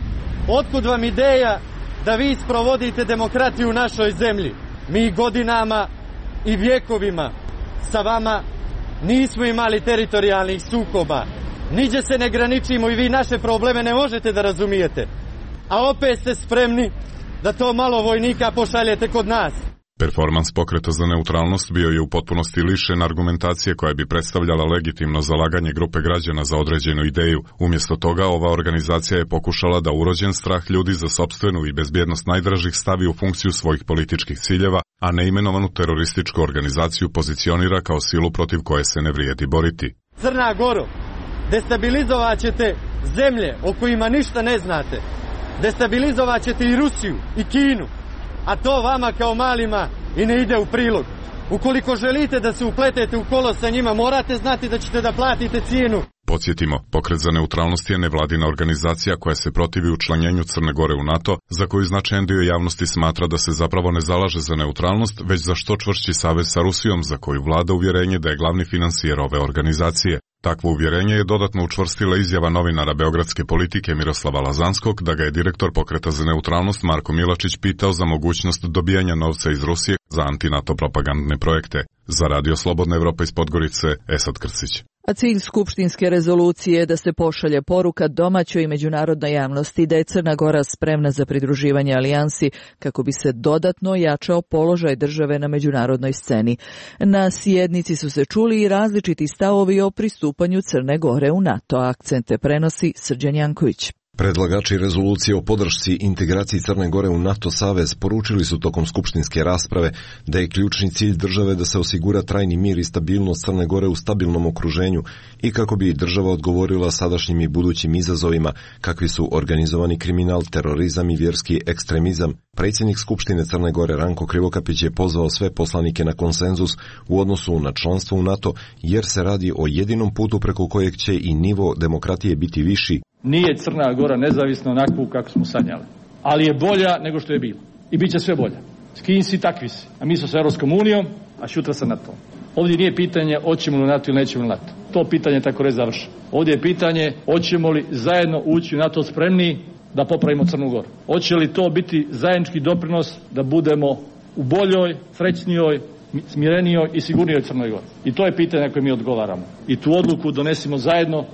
Otkud vam ideja da vi sprovodite demokratiju u našoj zemlji? Mi godinama i vjekovima sa vama nismo imali teritorijalnih sukoba. Niđe se ne graničimo i vi naše probleme ne možete da razumijete. A opet ste spremni da to malo vojnika pošaljete kod nas. Performans Pokreta za neutralnost bio je u potpunosti lišen argumentacije koja bi predstavljala legitimno zalaganje grupe građana za određenu ideju. Umjesto toga, ova organizacija je pokušala da urođen strah ljudi za sopstvenu i bezbjednost najdražih stavi u funkciju svojih političkih ciljeva, a neimenovanu terorističku organizaciju pozicionira kao silu protiv koje se ne vrijedi boriti. Crna Goro, destabilizovat ćete zemlje o kojima ništa ne znate. Destabilizovat ćete i Rusiju i Kinu. A to vama kao malima i ne ide u prilog. Ukoliko želite da se upletete u kolo sa njima, morate znati da ćete da platite cijenu. Podsjetimo, Pokret za neutralnost je nevladina organizacija koja se protivi učlanjenju Crne Gore u NATO, za koju značajan dio javnosti smatra da se zapravo ne zalaže za neutralnost, već za što čvršći savez sa Rusijom, za koju vlada uvjerenje da je glavni finansijer ove organizacije. Takvo uvjerenje je dodatno učvrstila izjava novinara beogradske politike Miroslava Lazanskog da ga je direktor Pokreta za neutralnost Marko Milačić pitao za mogućnost dobijanja novca iz Rusije za anti-NATO propagandne projekte. Za Radio Slobodna Evropa iz Podgorice, Esad Krsić. A cilj skupštinske rezolucije je da se pošalje poruka domaćoj i međunarodnoj javnosti da je Crna Gora spremna za pridruživanje alijansi kako bi se dodatno jačao položaj države na međunarodnoj sceni. Na sjednici su se čuli i različiti stavovi o pristupanju Crne Gore u NATO. Akcente prenosi Srđan Janković. Predlagači rezolucije o podršci integraciji Crne Gore u NATO savez poručili su tokom skupštinske rasprave da je ključni cilj države da se osigura trajni mir i stabilnost Crne Gore u stabilnom okruženju i kako bi država odgovorila sadašnjim i budućim izazovima kakvi su organizovani kriminal, terorizam i vjerski ekstremizam. Predsjednik Skupštine Crne Gore Ranko Krivokapić je pozvao sve poslanike na konsenzus u odnosu na članstvo u NATO jer se radi o jedinom putu preko kojeg će i nivo demokratije biti viši. Nije Crna Gora nezavisna onakvu kako smo sanjali, ali je bolja nego što je bila i bit će sve bolja. S kim si, takvi si. A mi smo s Europskom unijom, a šutra sa NATO. Ovdje nije pitanje hoćemo li NATO ili nećemo li NATO. To pitanje tako reći završi. Ovdje je pitanje hoćemo li zajedno ući u NATO spremni da popravimo Crnu Goru. Hoće li to biti zajednički doprinos da budemo u boljoj, srećnijoj, smirenijoj i sigurnijoj Crnoj Gori. I to je pitanje na koje mi odgovaramo. I tu odluku donesimo zajedno,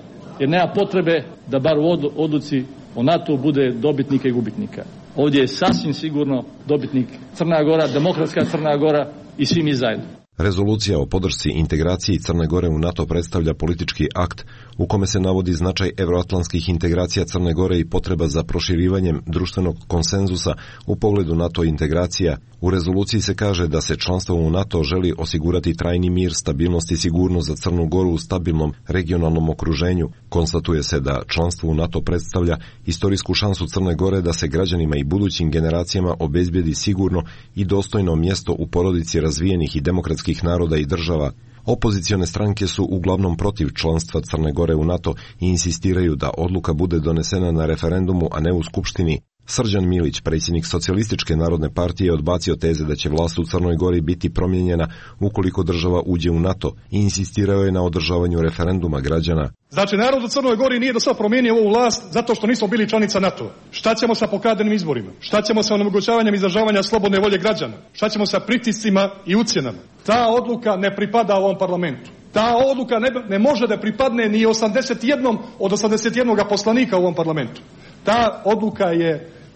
jer nema potrebe da bar u odluci o NATO bude dobitnika i gubitnika. Ovdje je sasvim sigurno dobitnik Crna Gora, demokratska Crna Gora i svi mi zajedno. Rezolucija o podršci integraciji Crne Gore u NATO predstavlja politički akt u kome se navodi značaj evroatlantskih integracija Crne Gore i potreba za proširivanjem društvenog konsenzusa u pogledu NATO integracija. U rezoluciji se kaže da se članstvom u NATO želi osigurati trajni mir, stabilnost i sigurnost za Crnu Goru u stabilnom regionalnom okruženju. Konstatuje se da članstvo u NATO predstavlja istorijsku šansu Crne Gore da se građanima i budućim generacijama obezbijedi sigurno i dostojno mjesto u porodici razvijenih i demokratskih naroda i država. Opozicione stranke su uglavnom protiv članstva Crne Gore u NATO i insistiraju da odluka bude donesena na referendumu, a ne u Skupštini. Srđan Milić, predsjednik Socijalističke narodne partije, odbacio teze da će vlast u Crnoj Gori biti promijenjena ukoliko država uđe u NATO i insistirao je na održavanju referenduma građana. Znači, narod u Crnoj Gori nije do sad promijenio ovu vlast zato što nismo bili članica NATO. Šta ćemo sa pokradenim izborima? Šta ćemo sa onemogućavanjem izražavanja slobodne volje građana? Šta ćemo sa pritiscima i ucjenama? Ta odluka ne pripada ovom parlamentu. Ta odluka ne može da pripadne ni 81 od 81 poslanika u ovom parlamentu. Ta odluka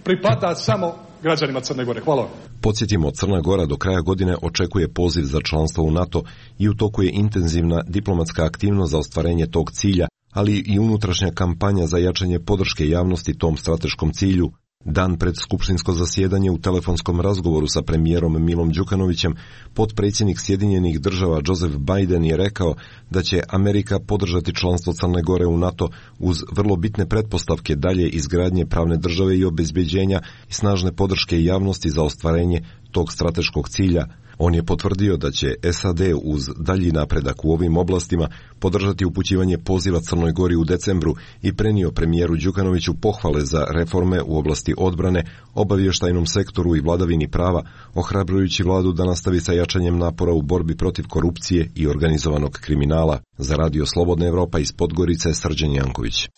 pripada samo građanima Crne Gore. Hvala vam. Podsjetimo, Crna Gora do kraja godine očekuje poziv za članstvo u NATO i u toku je intenzivna diplomatska aktivnost za ostvarenje tog cilja, ali i unutrašnja kampanja za jačanje podrške javnosti tom strateškom cilju. Dan pred skupštinsko zasjedanje u telefonskom razgovoru sa premijerom Milom Đukanovićem, potpredsjednik Sjedinjenih država Joseph Biden je rekao da će Amerika podržati članstvo Crne Gore u NATO uz vrlo bitne pretpostavke dalje izgradnje pravne države i obezbeđenja i snažne podrške javnosti za ostvarenje tog strateškog cilja. On je potvrdio da će SAD uz dalji napredak u ovim oblastima podržati upućivanje poziva Crnoj Gori u decembru i prenio premijeru Đukanoviću pohvale za reforme u oblasti odbrane, obavještajnom sektoru i vladavini prava, ohrabrujući vladu da nastavi sa jačanjem napora u borbi protiv korupcije i organizovanog kriminala. Za Radio Slobodna Evropa iz Podgorice, Srđan Janković.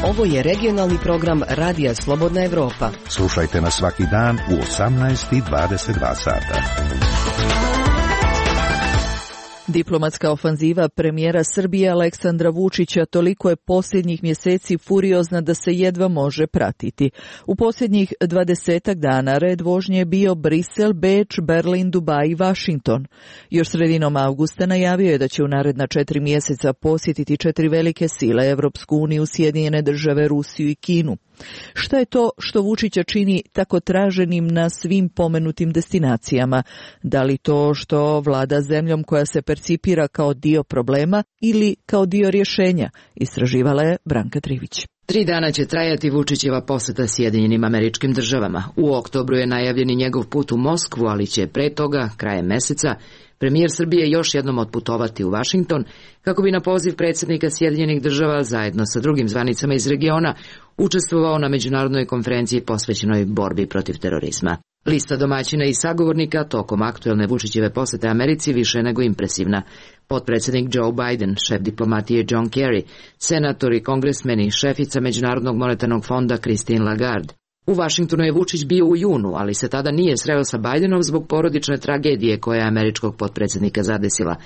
Ovo je regionalni program Radija Slobodna Evropa. Slušajte nas svaki dan u 18:22 sata. Diplomatska ofanziva premijera Srbije Aleksandra Vučića toliko je posljednjih mjeseci furiozna da se jedva može pratiti. U posljednjih 20 dana red vožnje je bio Brisel, Beč, Berlin, Dubaj i Washington. Još sredinom avgusta najavio je da će u naredna 4 mjeseca posjetiti 4 velike sile, Evropsku uniju, Sjedinjene države, Rusiju i Kinu. Šta je to što Vučića čini tako traženim na svim pomenutim destinacijama? Da li to što vlada zemljom koja se percipira kao dio problema ili kao dio rješenja? Istraživala je Branka Trivić. 3 dana će trajati Vučićeva posjeta Sjedinjenim Američkim Državama. U oktobru je najavljen i njegov put u Moskvu, ali će pre toga, krajem meseca, premijer Srbije još jednom otputovati u Washington kako bi na poziv predsjednika Sjedinjenih Država zajedno sa drugim zvanicama iz regiona učestvovao na međunarodnoj konferenciji posvećenoj borbi protiv terorizma. Lista domaćina i sagovornika tokom aktuelne Vučićeve posjete Americi više je nego impresivna. Potpredsjednik Joe Biden, šef diplomatije John Kerry, senatori, kongresmeni, šefica Međunarodnog monetarnog fonda Christine Lagarde. U Vašingtonu je Vučić bio u junu, ali se tada nije sreo sa Bidenom zbog porodične tragedije koja je američkog potpredsjednika zadesila.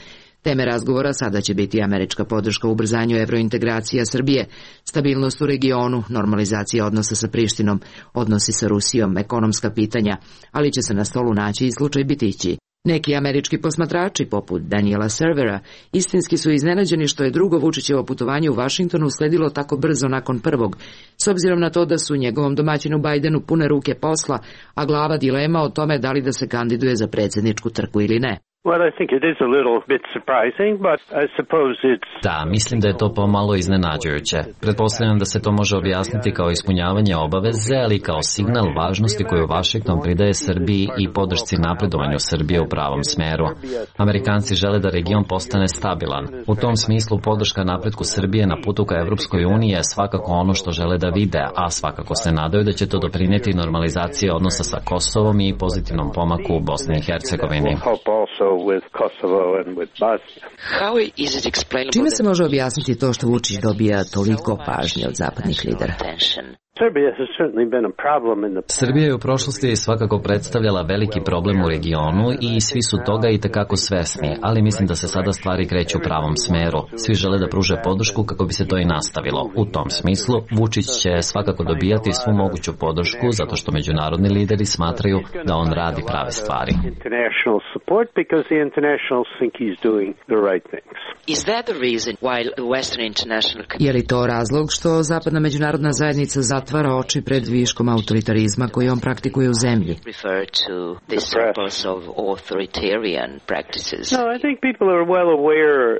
Teme razgovora sada će biti američka podrška u ubrzanju evrointegracija Srbije, stabilnost u regionu, normalizacija odnosa sa Prištinom, odnosi sa Rusijom, ekonomska pitanja, ali će se na stolu naći i slučaj Bitići. Neki američki posmatrači, poput Daniela Servera, istinski su iznenađeni što je drugo Vučićevo putovanje u Vašingtonu usledilo tako brzo nakon prvog, s obzirom na to da su njegovom domaćinu Bidenu pune ruke posla, a glava dilema o tome da li da se kandiduje za predsjedničku trku ili ne. Da, mislim da je to pomalo iznenađujuće. Pretpostavljam da se to može objasniti kao ispunjavanje obaveze, ali kao signal važnosti koju Washington pridaje Srbiji i podršci napredovanju Srbije u pravom smeru. Amerikanci žele da region postane stabilan. U tom smislu podrška napretku Srbije na putu ka Evropskoj uniji je svakako ono što žele da vide, a svakako se nadaju da će to doprinijeti normalizaciji odnosa sa Kosovom i pozitivnom pomaku u Bosni i Hercegovini. Čime se može objasniti to što Vučić dobija toliko pažnje od zapadnih lidera? Srbija je u prošlosti svakako predstavljala veliki problem u regionu i svi su toga i tekako svesni, ali mislim da se sada stvari kreću u pravom smeru. Svi žele da pruže podršku kako bi se to i nastavilo. U tom smislu, Vučić će svakako dobijati svu moguću podršku zato što međunarodni lideri smatraju da on radi prave stvari. Je li to razlog što zapadna međunarodna zajednica zatvara oči pred viškom autoritarizma koji on praktikuje u zemlji?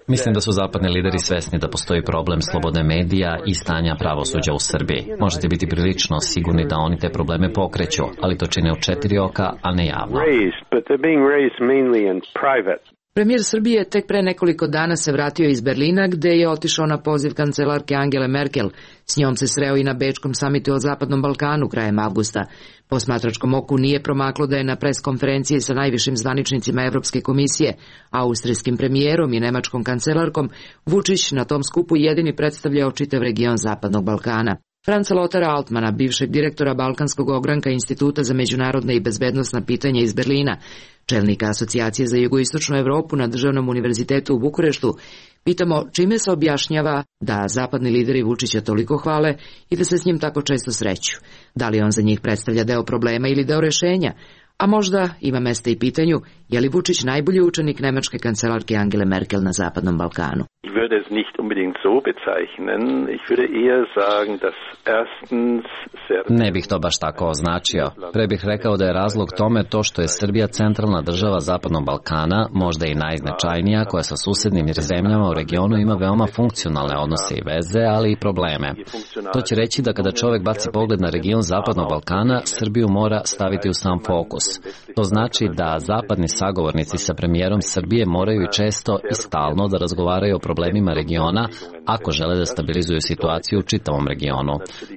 Mislim da su zapadni lideri svesni da postoji problem slobodne medija i stanja pravosuđa u Srbiji. Možete biti prilično sigurni da oni te probleme pokreću, ali to čine u 4 oka, a ne javno. Premijer Srbije tek pre nekoliko dana se vratio iz Berlina gde je otišao na poziv kancelarke Angele Merkel. S njom se sreo i na Bečkom samitu o Zapadnom Balkanu krajem avgusta. Posmatračkom oku nije promaklo da je na pres konferenciji sa najvišim zvaničnicima Evropske komisije, austrijskim premijerom i nemačkom kancelarkom, Vučić na tom skupu jedini predstavljao čitav region Zapadnog Balkana. Franca Lotara Altmana, bivšeg direktora Balkanskog ogranka Instituta za međunarodne i bezbednosna pitanja iz Berlina, čelnika Asocijacije za jugoistočnu Evropu na Državnom univerzitetu u Bukureštu, pitamo čime se objašnjava da zapadni lideri Vučića toliko hvale i da se s njim tako često sreću. Da li on za njih predstavlja deo problema ili deo rešenja? A možda ima mesta i pitanju, je li Vučić najbolji učenik nemačke kancelarke Angele Merkel na Zapadnom Balkanu? Ich würde es nicht unbedingt so bezeichnen. Ich würde eher sagen, dass erstens Ne bih to baš tako označio. Pre bih rekao da je razlog tome to što je Srbija centralna država Zapadnog Balkana, možda i najznačajnija, koja sa susednim zemljama u regionu ima veoma funkcionalne odnose i veze, ali i probleme. To će reći da kada čovek baci pogled na region Zapadnog Balkana, Srbiju mora staviti u sam fokus. To znači da zapadni sagovornici sa premijerom Srbije moraju i često i stalno da razgovaraju o problemima regiona ako žele da stabilizuju situaciju u čitavom regionu.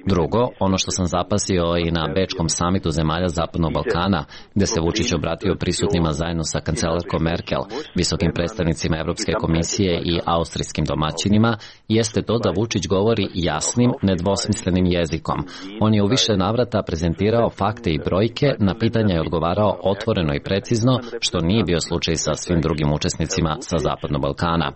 Drugo, ono što sam zapasio i na Bečkom samitu zemalja Zapadnog Balkana, gde se Vučić obratio prisutnima zajedno sa kancelarkom Merkel, visokim predstavnicima Evropske komisije i austrijskim domaćinima, jeste to da Vučić govori jasnim, nedvosmislenim jezikom. On je u više navrata prezentirao fakte i brojke, na pitanja je odgovarao otvoreno i precizno, što nije bio slučaj sa svim drugim učesnicima sa Zapadnog Balkana.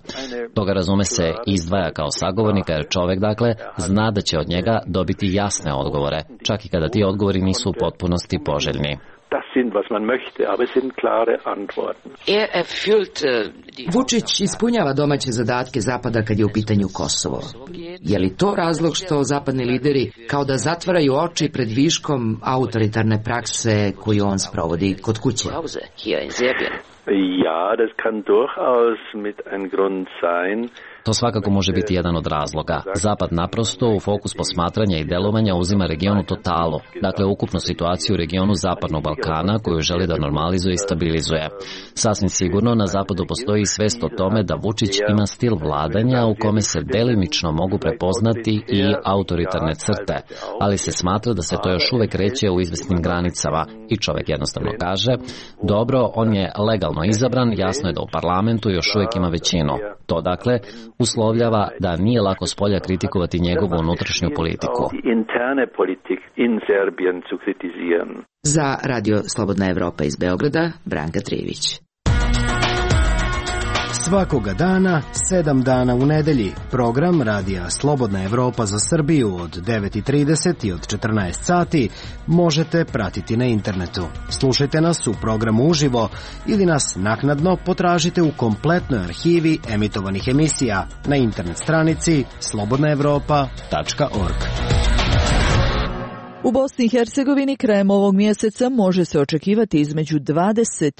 Toga razume se izdvaja kao sagovornika, jer čovek, dakle, zna da će od njega dobiti jasne odgovore, čak i kada ti odgovori nisu u potpunosti poželjni. Vučić ispunjava domaće zadatke Zapada kad je u pitanju Kosovo. Je li to razlog što zapadni lideri kao da zatvaraju oči pred viškom autoritarne prakse koju on sprovodi kod kuće? Ja, das kann durchaus mit ein Grund sein. To svakako može biti jedan od razloga. Zapad naprosto u fokus posmatranja i delovanja uzima regionu totalu, dakle ukupnu situaciju u regionu Zapadnog Balkana koju želi da normalizuje i stabilizuje. Sasvim sigurno na Zapadu postoji svest o tome da Vučić ima stil vladanja u kome se delimično mogu prepoznati i autoritarne crte, ali se smatra da se to još uvek reće u izvesnim granicama i čovek jednostavno kaže, dobro, on je legalno izabran, jasno je da u parlamentu još uvek ima većinu. To dakle uslovljava da nije lako spolja kritikovati njegovu unutrašnju politiku. Za Radio Slobodna Evropa iz Beograda, Branka Trijević. Svakoga dana, 7 dana u nedelji, program Radija Slobodna Evropa za Srbiju od 9:30 i od 14 sati možete pratiti na internetu. Slušajte nas u programu uživo ili nas naknadno potražite u kompletnoj arhivi emitovanih emisija na internet stranici slobodnaevropa.org. U Bosni i Hercegovini krajem ovog mjeseca može se očekivati između 25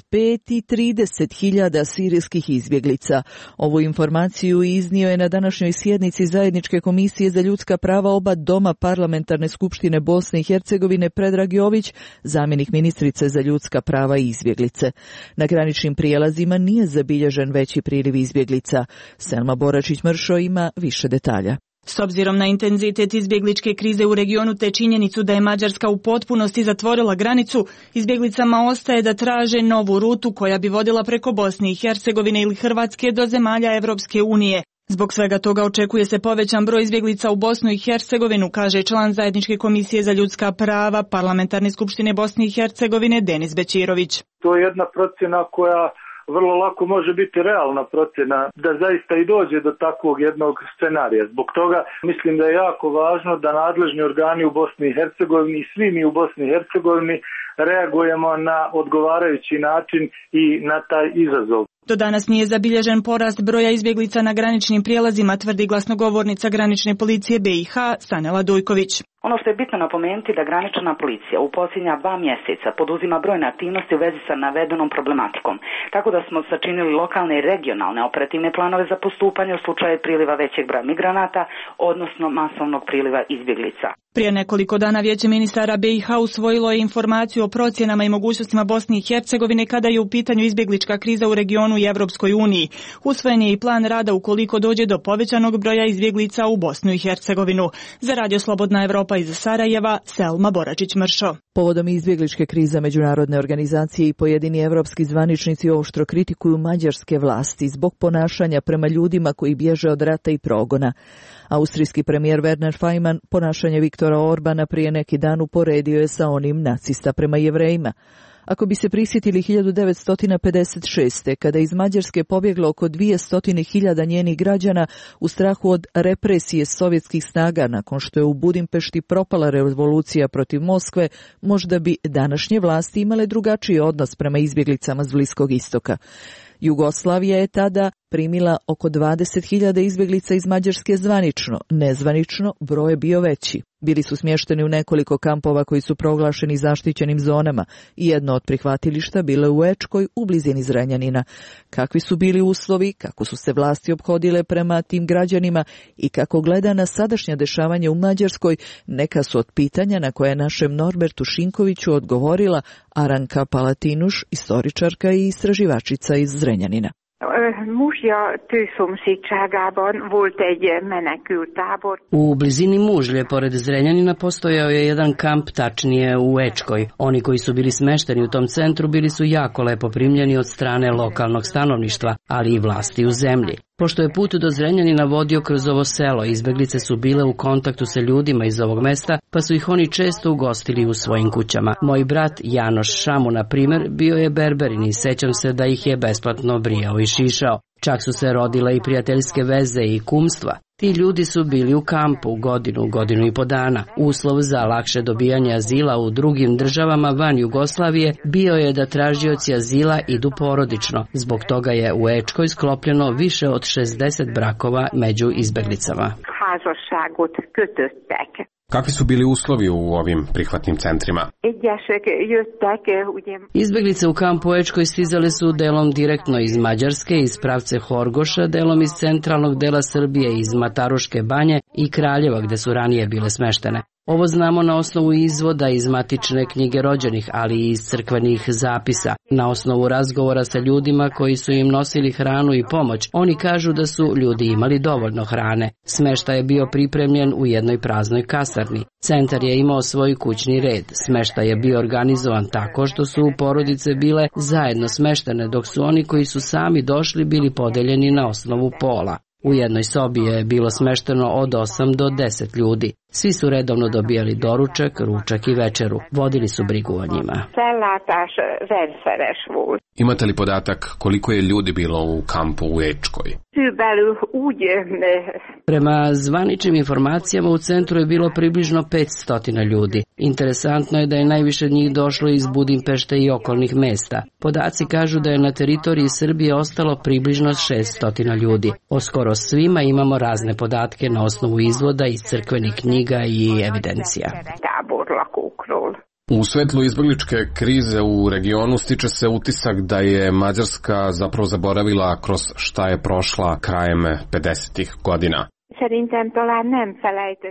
i 30 hiljada sirijskih izbjeglica. Ovu informaciju iznio je na današnjoj sjednici Zajedničke komisije za ljudska prava oba doma Parlamentarne skupštine Bosne i Hercegovine Predrag Jović, zamjenik ministrice za ljudska prava i izbjeglice. Na graničnim prijelazima nije zabilježen veći priliv izbjeglica. Selma Boračić-Mršo ima više detalja. S obzirom na intenzitet izbjegličke krize u regionu te činjenicu da je Mađarska u potpunosti zatvorila granicu, izbjeglicama ostaje da traže novu rutu koja bi vodila preko Bosne i Hercegovine ili Hrvatske do zemalja Evropske unije. Zbog svega toga očekuje se povećan broj izbjeglica u Bosnu i Hercegovinu, kaže član Zajedničke komisije za ljudska prava Parlamentarne skupštine Bosne i Hercegovine Denis Bećirović. To je jedna procjena koja vrlo lako može biti realna procjena da zaista i dođe do takvog jednog scenarija. Zbog toga mislim da je jako važno da nadležni organi u Bosni i Hercegovini i svi mi u Bosni i Hercegovini reagujemo na odgovarajući način i na taj izazov. Do danas nije zabilježen porast broja izbjeglica na graničnim prijelazima, tvrdi glasnogovornica granične policije BiH Sanela Dujković. Ono što je bitno napomenuti da granična policija u posljednja 2 mjeseca poduzima brojne aktivnosti u vezi sa navedenom problematikom, tako da smo sačinili lokalne i regionalne operativne planove za postupanje u slučaju priliva većeg broja migranata, odnosno masovnog priliva izbjeglica. Prije nekoliko dana Vijeće ministara BiH usvojilo je informaciju o procjenama i mogućnostima Bosne i Hercegovine kada je u pitanju izbjeglička kriza u regionu i Evropskoj uniji. Usvojen je i plan rada ukoliko dođe do povećanog broja izbjeglica u Bosnu i Hercegovinu. Za Radio Slobodna Evropa iz Sarajeva, Selma Boračić-Mršo. Povodom izbjegličke krize međunarodne organizacije i pojedini evropski zvaničnici oštro kritikuju mađarske vlasti zbog ponašanja prema ljudima koji bježe od rata i progona. Austrijski premijer Werner Faymann ponašanje Viktora Orbana prije neki dan uporedio je sa onim nacista prema Jevrejima. Ako bi se prisjetili 1956. kada iz Mađarske pobjeglo oko 200.000 njenih građana u strahu od represije sovjetskih snaga nakon što je u Budimpešti propala revolucija protiv Moskve, možda bi današnje vlasti imale drugačiji odnos prema izbjeglicama s Bliskog istoka. Jugoslavija je tada primila oko 20.000 izbjeglica iz Mađarske zvanično, nezvanično broj je bio veći. Bili su smješteni u nekoliko kampova koji su proglašeni zaštićenim zonama i jedno od prihvatilišta bilo je u Ečkoj u blizini Zrenjanina. Kakvi su bili uslovi, kako su se vlasti ophodile prema tim građanima i kako gleda na sadašnja dešavanja u Mađarskoj, neka su od pitanja na koje našem Norbertu Šinkoviću odgovorila Aranka Palatinuš, istoričarka i istraživačica iz Zrenjanina. Muzsja tőszomszédságában volt egy menekültábor. U blizini Mužlje, pored Zrenjanina, postojao je jedan kamp, tačnije u Ečkoj. Oni koji su bili smešteni u tom centru bili su jako lepo primljeni od strane lokalnog stanovništva, ali i vlasti u zemlji. Pošto je put do Zrenjanina vodio kroz ovo selo, izbeglice su bile u kontaktu sa ljudima iz ovog mesta, pa su ih oni često ugostili u svojim kućama. Moj brat Janoš Šamu, na primjer, bio je berberin i sećam se da ih je besplatno brijao i šišao. Čak su se rodile i prijateljske veze i kumstva. Ti ljudi su bili u kampu godinu i po dana. Uslov za lakše dobijanje azila u drugim državama van Jugoslavije bio je da tražioci azila idu porodično. Zbog toga je u Ečkoj sklopljeno više od 60 brakova među izbeglicama. Kakvi su bili uslovi u ovim prihvatnim centrima? Izbeglice u kampu u Ečkoj stizale su delom direktno iz Mađarske, iz pravce Horgoša, delom iz centralnog dela Srbije, iz Mataruške banje i Kraljeva gde su ranije bile smeštene. Ovo znamo na osnovu izvoda iz matične knjige rođenih, ali i iz crkvenih zapisa. Na osnovu razgovora sa ljudima koji su im nosili hranu i pomoć, oni kažu da su ljudi imali dovoljno hrane. Smeštaj je bio pripremljen u jednoj praznoj kasarni. Centar je imao svoj kućni red. Smeštaj je bio organizovan tako što su porodice bile zajedno smeštene, dok su oni koji su sami došli bili podeljeni na osnovu pola. U jednoj sobi je bilo smešteno od 8 do 10 ljudi. Svi su redovno dobijali doručak, ručak i večeru. Vodili su brigu o njima. Imate li podatak koliko je ljudi bilo u kampu u Ečkoj? Prema zvaničnim informacijama u centru je bilo približno 500 ljudi. Interesantno je da je najviše njih došlo iz Budimpešte i okolnih mesta. Podaci kažu da je na teritoriji Srbije ostalo približno 600 ljudi. O skoro svima imamo razne podatke na osnovu izvoda iz crkvenih knjiga i evidencija. U svetlu izbegličke krize u regionu stiče se utisak da je Mađarska zapravo zaboravila kroz šta je prošla krajem 50-ih godina.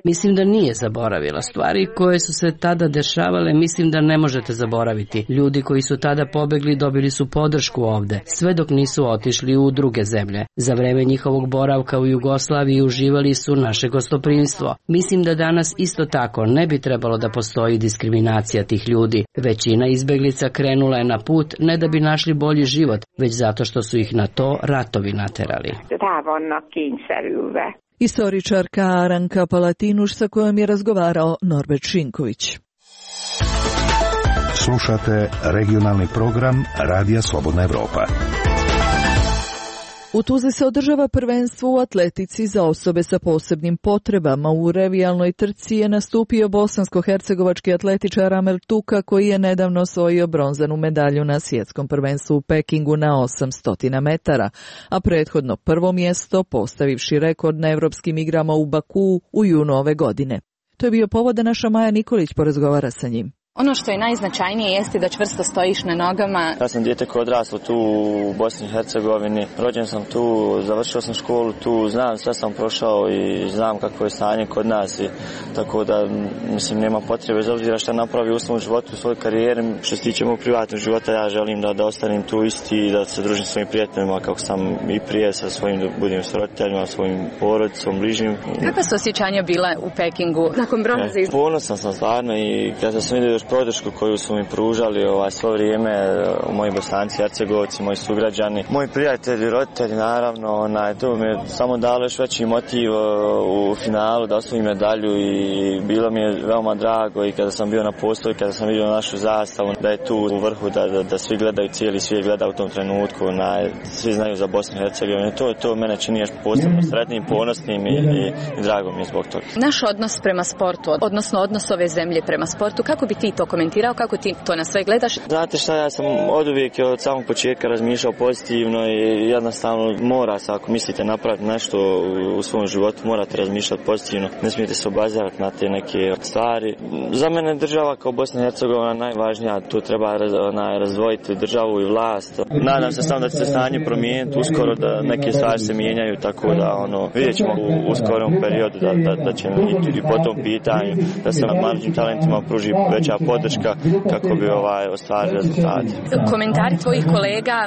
Mislim da nije zaboravila. Stvari koje su se tada dešavale mislim da ne možete zaboraviti. Ljudi koji su tada pobegli dobili su podršku ovde, sve dok nisu otišli u druge zemlje. Za vreme njihovog boravka u Jugoslaviji uživali su naše gostoprimstvo. Mislim da danas isto tako ne bi trebalo da postoji diskriminacija tih ljudi. Većina izbeglica krenula je na put ne da bi našli bolji život, već zato što su ih na to ratovi naterali. Istoričarka Aranka Palatinuš sa kojom je razgovarao Norbert Šinković. Slušate regionalni program Radija Slobodna Evropa. U Tuzli se održava prvenstvo u atletici za osobe sa posebnim potrebama. U revijalnoj trci je nastupio bosansko-hercegovački atletičar Amel Tuka koji je nedavno osvojio bronzanu medalju na svjetskom prvenstvu u Pekingu na 800 metara, a prethodno prvo mjesto postavivši rekord na evropskim igrama u Bakuu u junu ove godine. To je bio povod da naša Maja Nikolić porazgovara sa njim. Ono što je najznačajnije jeste da čvrsto stojiš na nogama. Ja sam dijete koje odraslo tu u Bosni i Hercegovini. Rođen sam tu, završio sam školu tu, znam, sve sam prošao i znam kakvo je stanje kod nas. Tako da, mislim, nema potrebe, bez obzira šta napravi u svom životu, u svojoj karijeri. Što se tiče mog privatnog života, ja želim da ostanem tu isti i da se družim s svojim prijateljima kako sam i prije sa svojim, da budem s roditeljima, svojim porodicom, bližnjim. Kakva su osjećanja bila u Pekingu nakon bronze? Ponosan sam stvarno i kada sam vidio podršku koju su mi pružali svo vrijeme moji Bosanci, Hercegovci, moji sugrađani, moji prijatelji, roditelji, naravno, to mi je samo dalo još veći motiv u finalu da osvojim medalju i bilo mi je veoma drago i kada sam bio na postoju, kada sam vidio našu zastavu, da je tu u vrhu, da svi gledaju, cijeli svijet gleda u tom trenutku, svi znaju za Bosnu i Hercegovinu. To mene čini još posebno sretnim, ponosnim i drago mi je zbog toga. Naš odnos prema sportu, odnosno odnos ove zemlje prema sportu, kako bi ti to komentirao, kako ti to na sve gledaš? Znate šta, ja sam oduvijek od samog početka razmišljao pozitivno i jednostavno mora se, ako mislite napraviti nešto u svom životu, morate razmišljati pozitivno, ne smijete se obazirati na te neke stvari. Za mene država kao Bosna i Hercegovina najvažnija, tu treba razdvojiti državu i vlast. Nadam se samo da će se stanje promijeniti uskoro, da neke stvari se mijenjaju, tako da vidjet ćemo u skorom periodu da će i po tom pitanju da se mlađim talentima pruži veća podrška kako bi ostvarili rezultate. Komentari tvojih kolega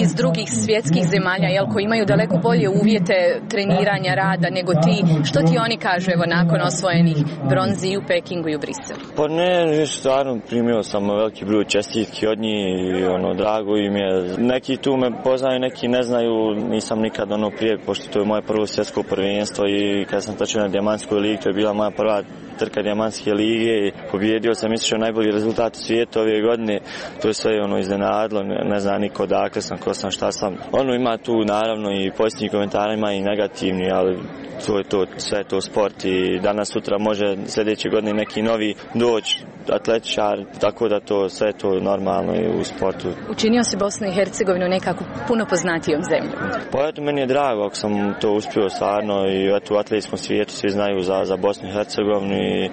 iz drugih svjetskih zemalja, koji imaju daleko bolje uvjete treniranja, rada nego ti, što ti oni kažu nakon osvojenih bronzi i u Pekingu i u Briselu? Pa ne, stvarno primio sam veliki broj čestitki od njih i drago im je. Neki tu me poznaju, neki ne znaju, nisam nikad prije, pošto to je moje prvo svjetsko prvenstvo i kada sam točio na Dijamantskoj ligi, to je bila moja prva trka Dijamantske lige i pobjedio sam, mislim, najbolji rezultat u svijetu ove godine. To je sve iznenadilo, ne zna niko odakle sam, ko sam, šta sam. Ima tu naravno i pozitivni komentari, ima i negativni, ali to je to, sve je to sport i danas sutra može sljedeće godine neki novi doći atletičar, tako da sve je to normalno i u sportu. Učinio si Bosnu i Hercegovinu nekako puno poznatijom zemljom. Pa eto, meni je drago ako sam to uspio stvarno i u atletskom svijetu svi znaju za Bosnu i Hercegovinu i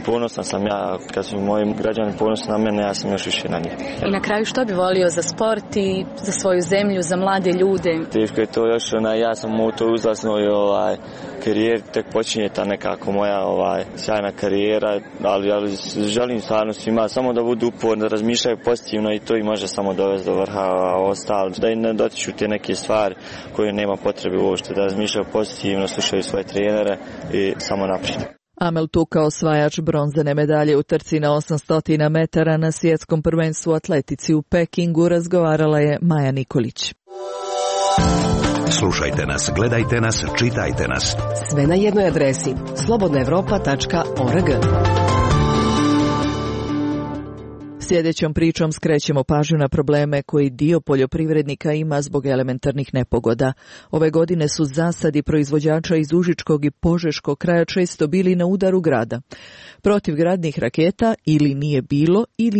ponosan sam ja, kad su moji građani ponosni na mene, ja sam još više na njih. I na kraju što bi volio za sport i za svoju zemlju, za mlade ljude? Teško je to još, ja sam u toj uzlasnoj karijeri, tek počinje ta nekako moja sjajna karijera, ali želim stvarno svima samo da budu uporni, da razmišljaju pozitivno i to i može samo dovesti do vrha, a ostalo da i ne dotiču te neke stvari koje nema potrebe uopšte, da razmišljaju pozitivno, slušaju svoje trenere i samo naprijed. Amel Tuka, osvajač bronzane medalje u trci na 800 metara na svjetskom prvenstvu u atletici u Pekingu, razgovarala je Maja Nikolić. Slušajte nas, gledajte nas, čitajte nas. Sve na jednoj adresi slobodnaevropa.org. Sljedećom pričom skrećemo pažnju na probleme koji dio poljoprivrednika ima zbog elementarnih nepogoda. Ove godine su zasadi proizvođača iz Užičkog i Požeškog kraja često bili na udaru grada. Protivgradnih raketa ili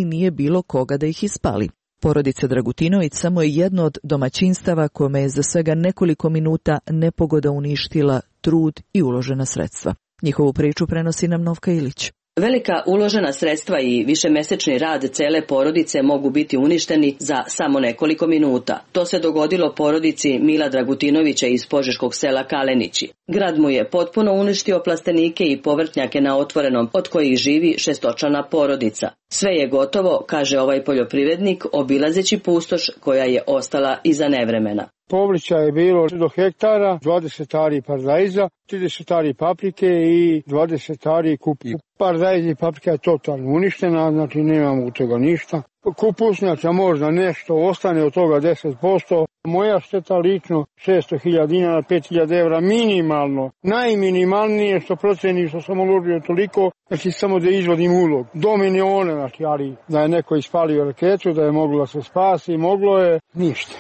nije bilo koga da ih ispali. Porodica Dragutinović samo je jedno od domaćinstava kome je za svega nekoliko minuta nepogoda uništila trud i uložena sredstva. Njihovu priču prenosi nam Novka Ilić. Velika uložena sredstva i višemesečni rad cele porodice mogu biti uništeni za samo nekoliko minuta. To se dogodilo porodici Mila Dragutinovića iz požeškog sela Kalenići. Grad mu je potpuno uništio plastenike i povrtnjake na otvorenom, od kojih živi šestočlana porodica. Sve je gotovo, kaže ovaj poljoprivrednik, obilazeći pustoš koja je ostala iza nevremena. Povrća je bilo do hektara, 20 ari paradajza, 30 ari paprike i 20 ari kupus. Paradajz i paprika je totalno uništena, znači nemamo u toga ništa. Kupusnjača možda nešto ostane od toga 10%. Moja šteta lično 600.000 dinara, 5.000 evra minimalno. Najminimalnije što proceni što sam uložio toliko, znači samo da izvodim ulog. Do miliona, znači, ali da je neko ispalio raketu, da je moglo se spasi, moglo je ništa.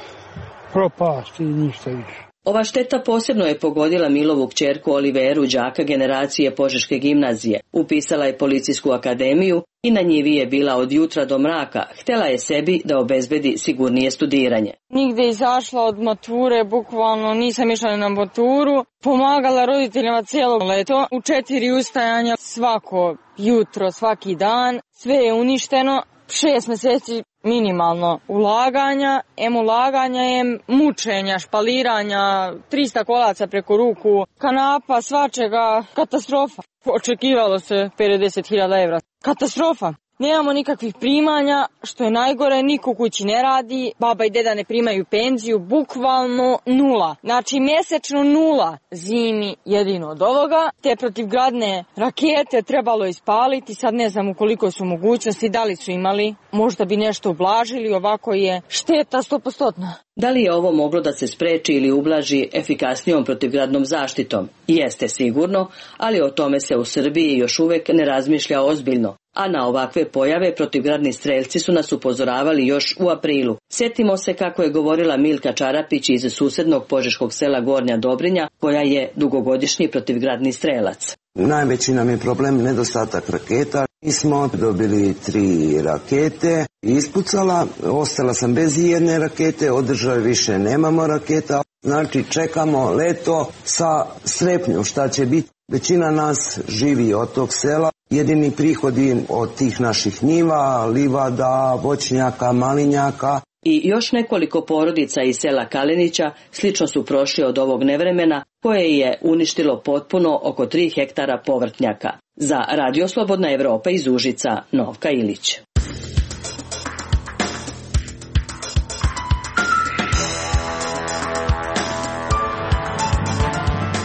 Propasti i ništa više. Ova šteta posebno je pogodila Milovu kćerku Oliveru, đaka generacije Požeške gimnazije. Upisala je policijsku akademiju i na njivi je bila od jutra do mraka. Htjela je sebi da obezbedi sigurnije studiranje. Nigde izašla od mature, bukvalno nisam išla na maturu. Pomagala roditeljima cijelo leto. U 4 ustajanja svako jutro, svaki dan. Sve je uništeno. 6 mjeseci minimalno ulaganja, ulaganja je mučenja, špaliranja, 300 kolaca preko ruku, kanapa, svačega, katastrofa. Očekivalo se 50.000 evra. Katastrofa. nemamo nikakvih primanja, što je najgore, niko kući ne radi, baba i deda ne primaju penziju, bukvalno nula. Znači mjesečno nula, zimi jedino od ovoga. Te protivgradne rakete trebalo ispaliti, sad ne znam u koliko su mogućnosti, da li su imali, možda bi nešto ublažili, ovako je šteta 100%. Da li je ovo moglo da se spreči ili ublaži efikasnijom protivgradnom zaštitom? Jeste sigurno, ali o tome se u Srbiji još uvek ne razmišlja ozbiljno. A na ovakve pojave protivgradni strelci su nas upozoravali još u aprilu. Sjetimo se kako je govorila Milka Čarapić iz susednog požeškog sela Gornja Dobrinja, koja je dugogodišnji protivgradni strelac. Najveći nam je problem nedostatak raketa. Mi smo dobili 3 rakete, ispucala, ostala sam bez jedne rakete, od države više nemamo raketa. Znači čekamo leto sa strepnjom šta će biti. Većina nas živi od tog sela. Jedini prihodi od tih naših njiva, livada, voćnjaka, malinjaka. I još nekoliko porodica iz sela Kalenića slično su prošli od ovog nevremena koje je uništilo potpuno oko 3 hektara povrtnjaka. Za Radio Slobodna Evropa iz Užica, Novka Ilić.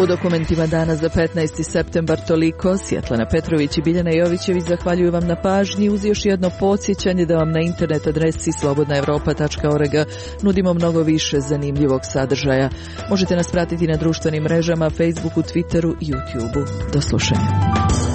U dokumentima dana za 15. septembar toliko. Svjetlana Petrović i Biljana Jovićević zahvaljuju vam na pažnji uz još jedno podsjećanje da vam na internet adresi slobodnaevropa.org nudimo mnogo više zanimljivog sadržaja. Možete nas pratiti na društvenim mrežama, Facebooku, Twitteru i YouTubeu. Do slušanja.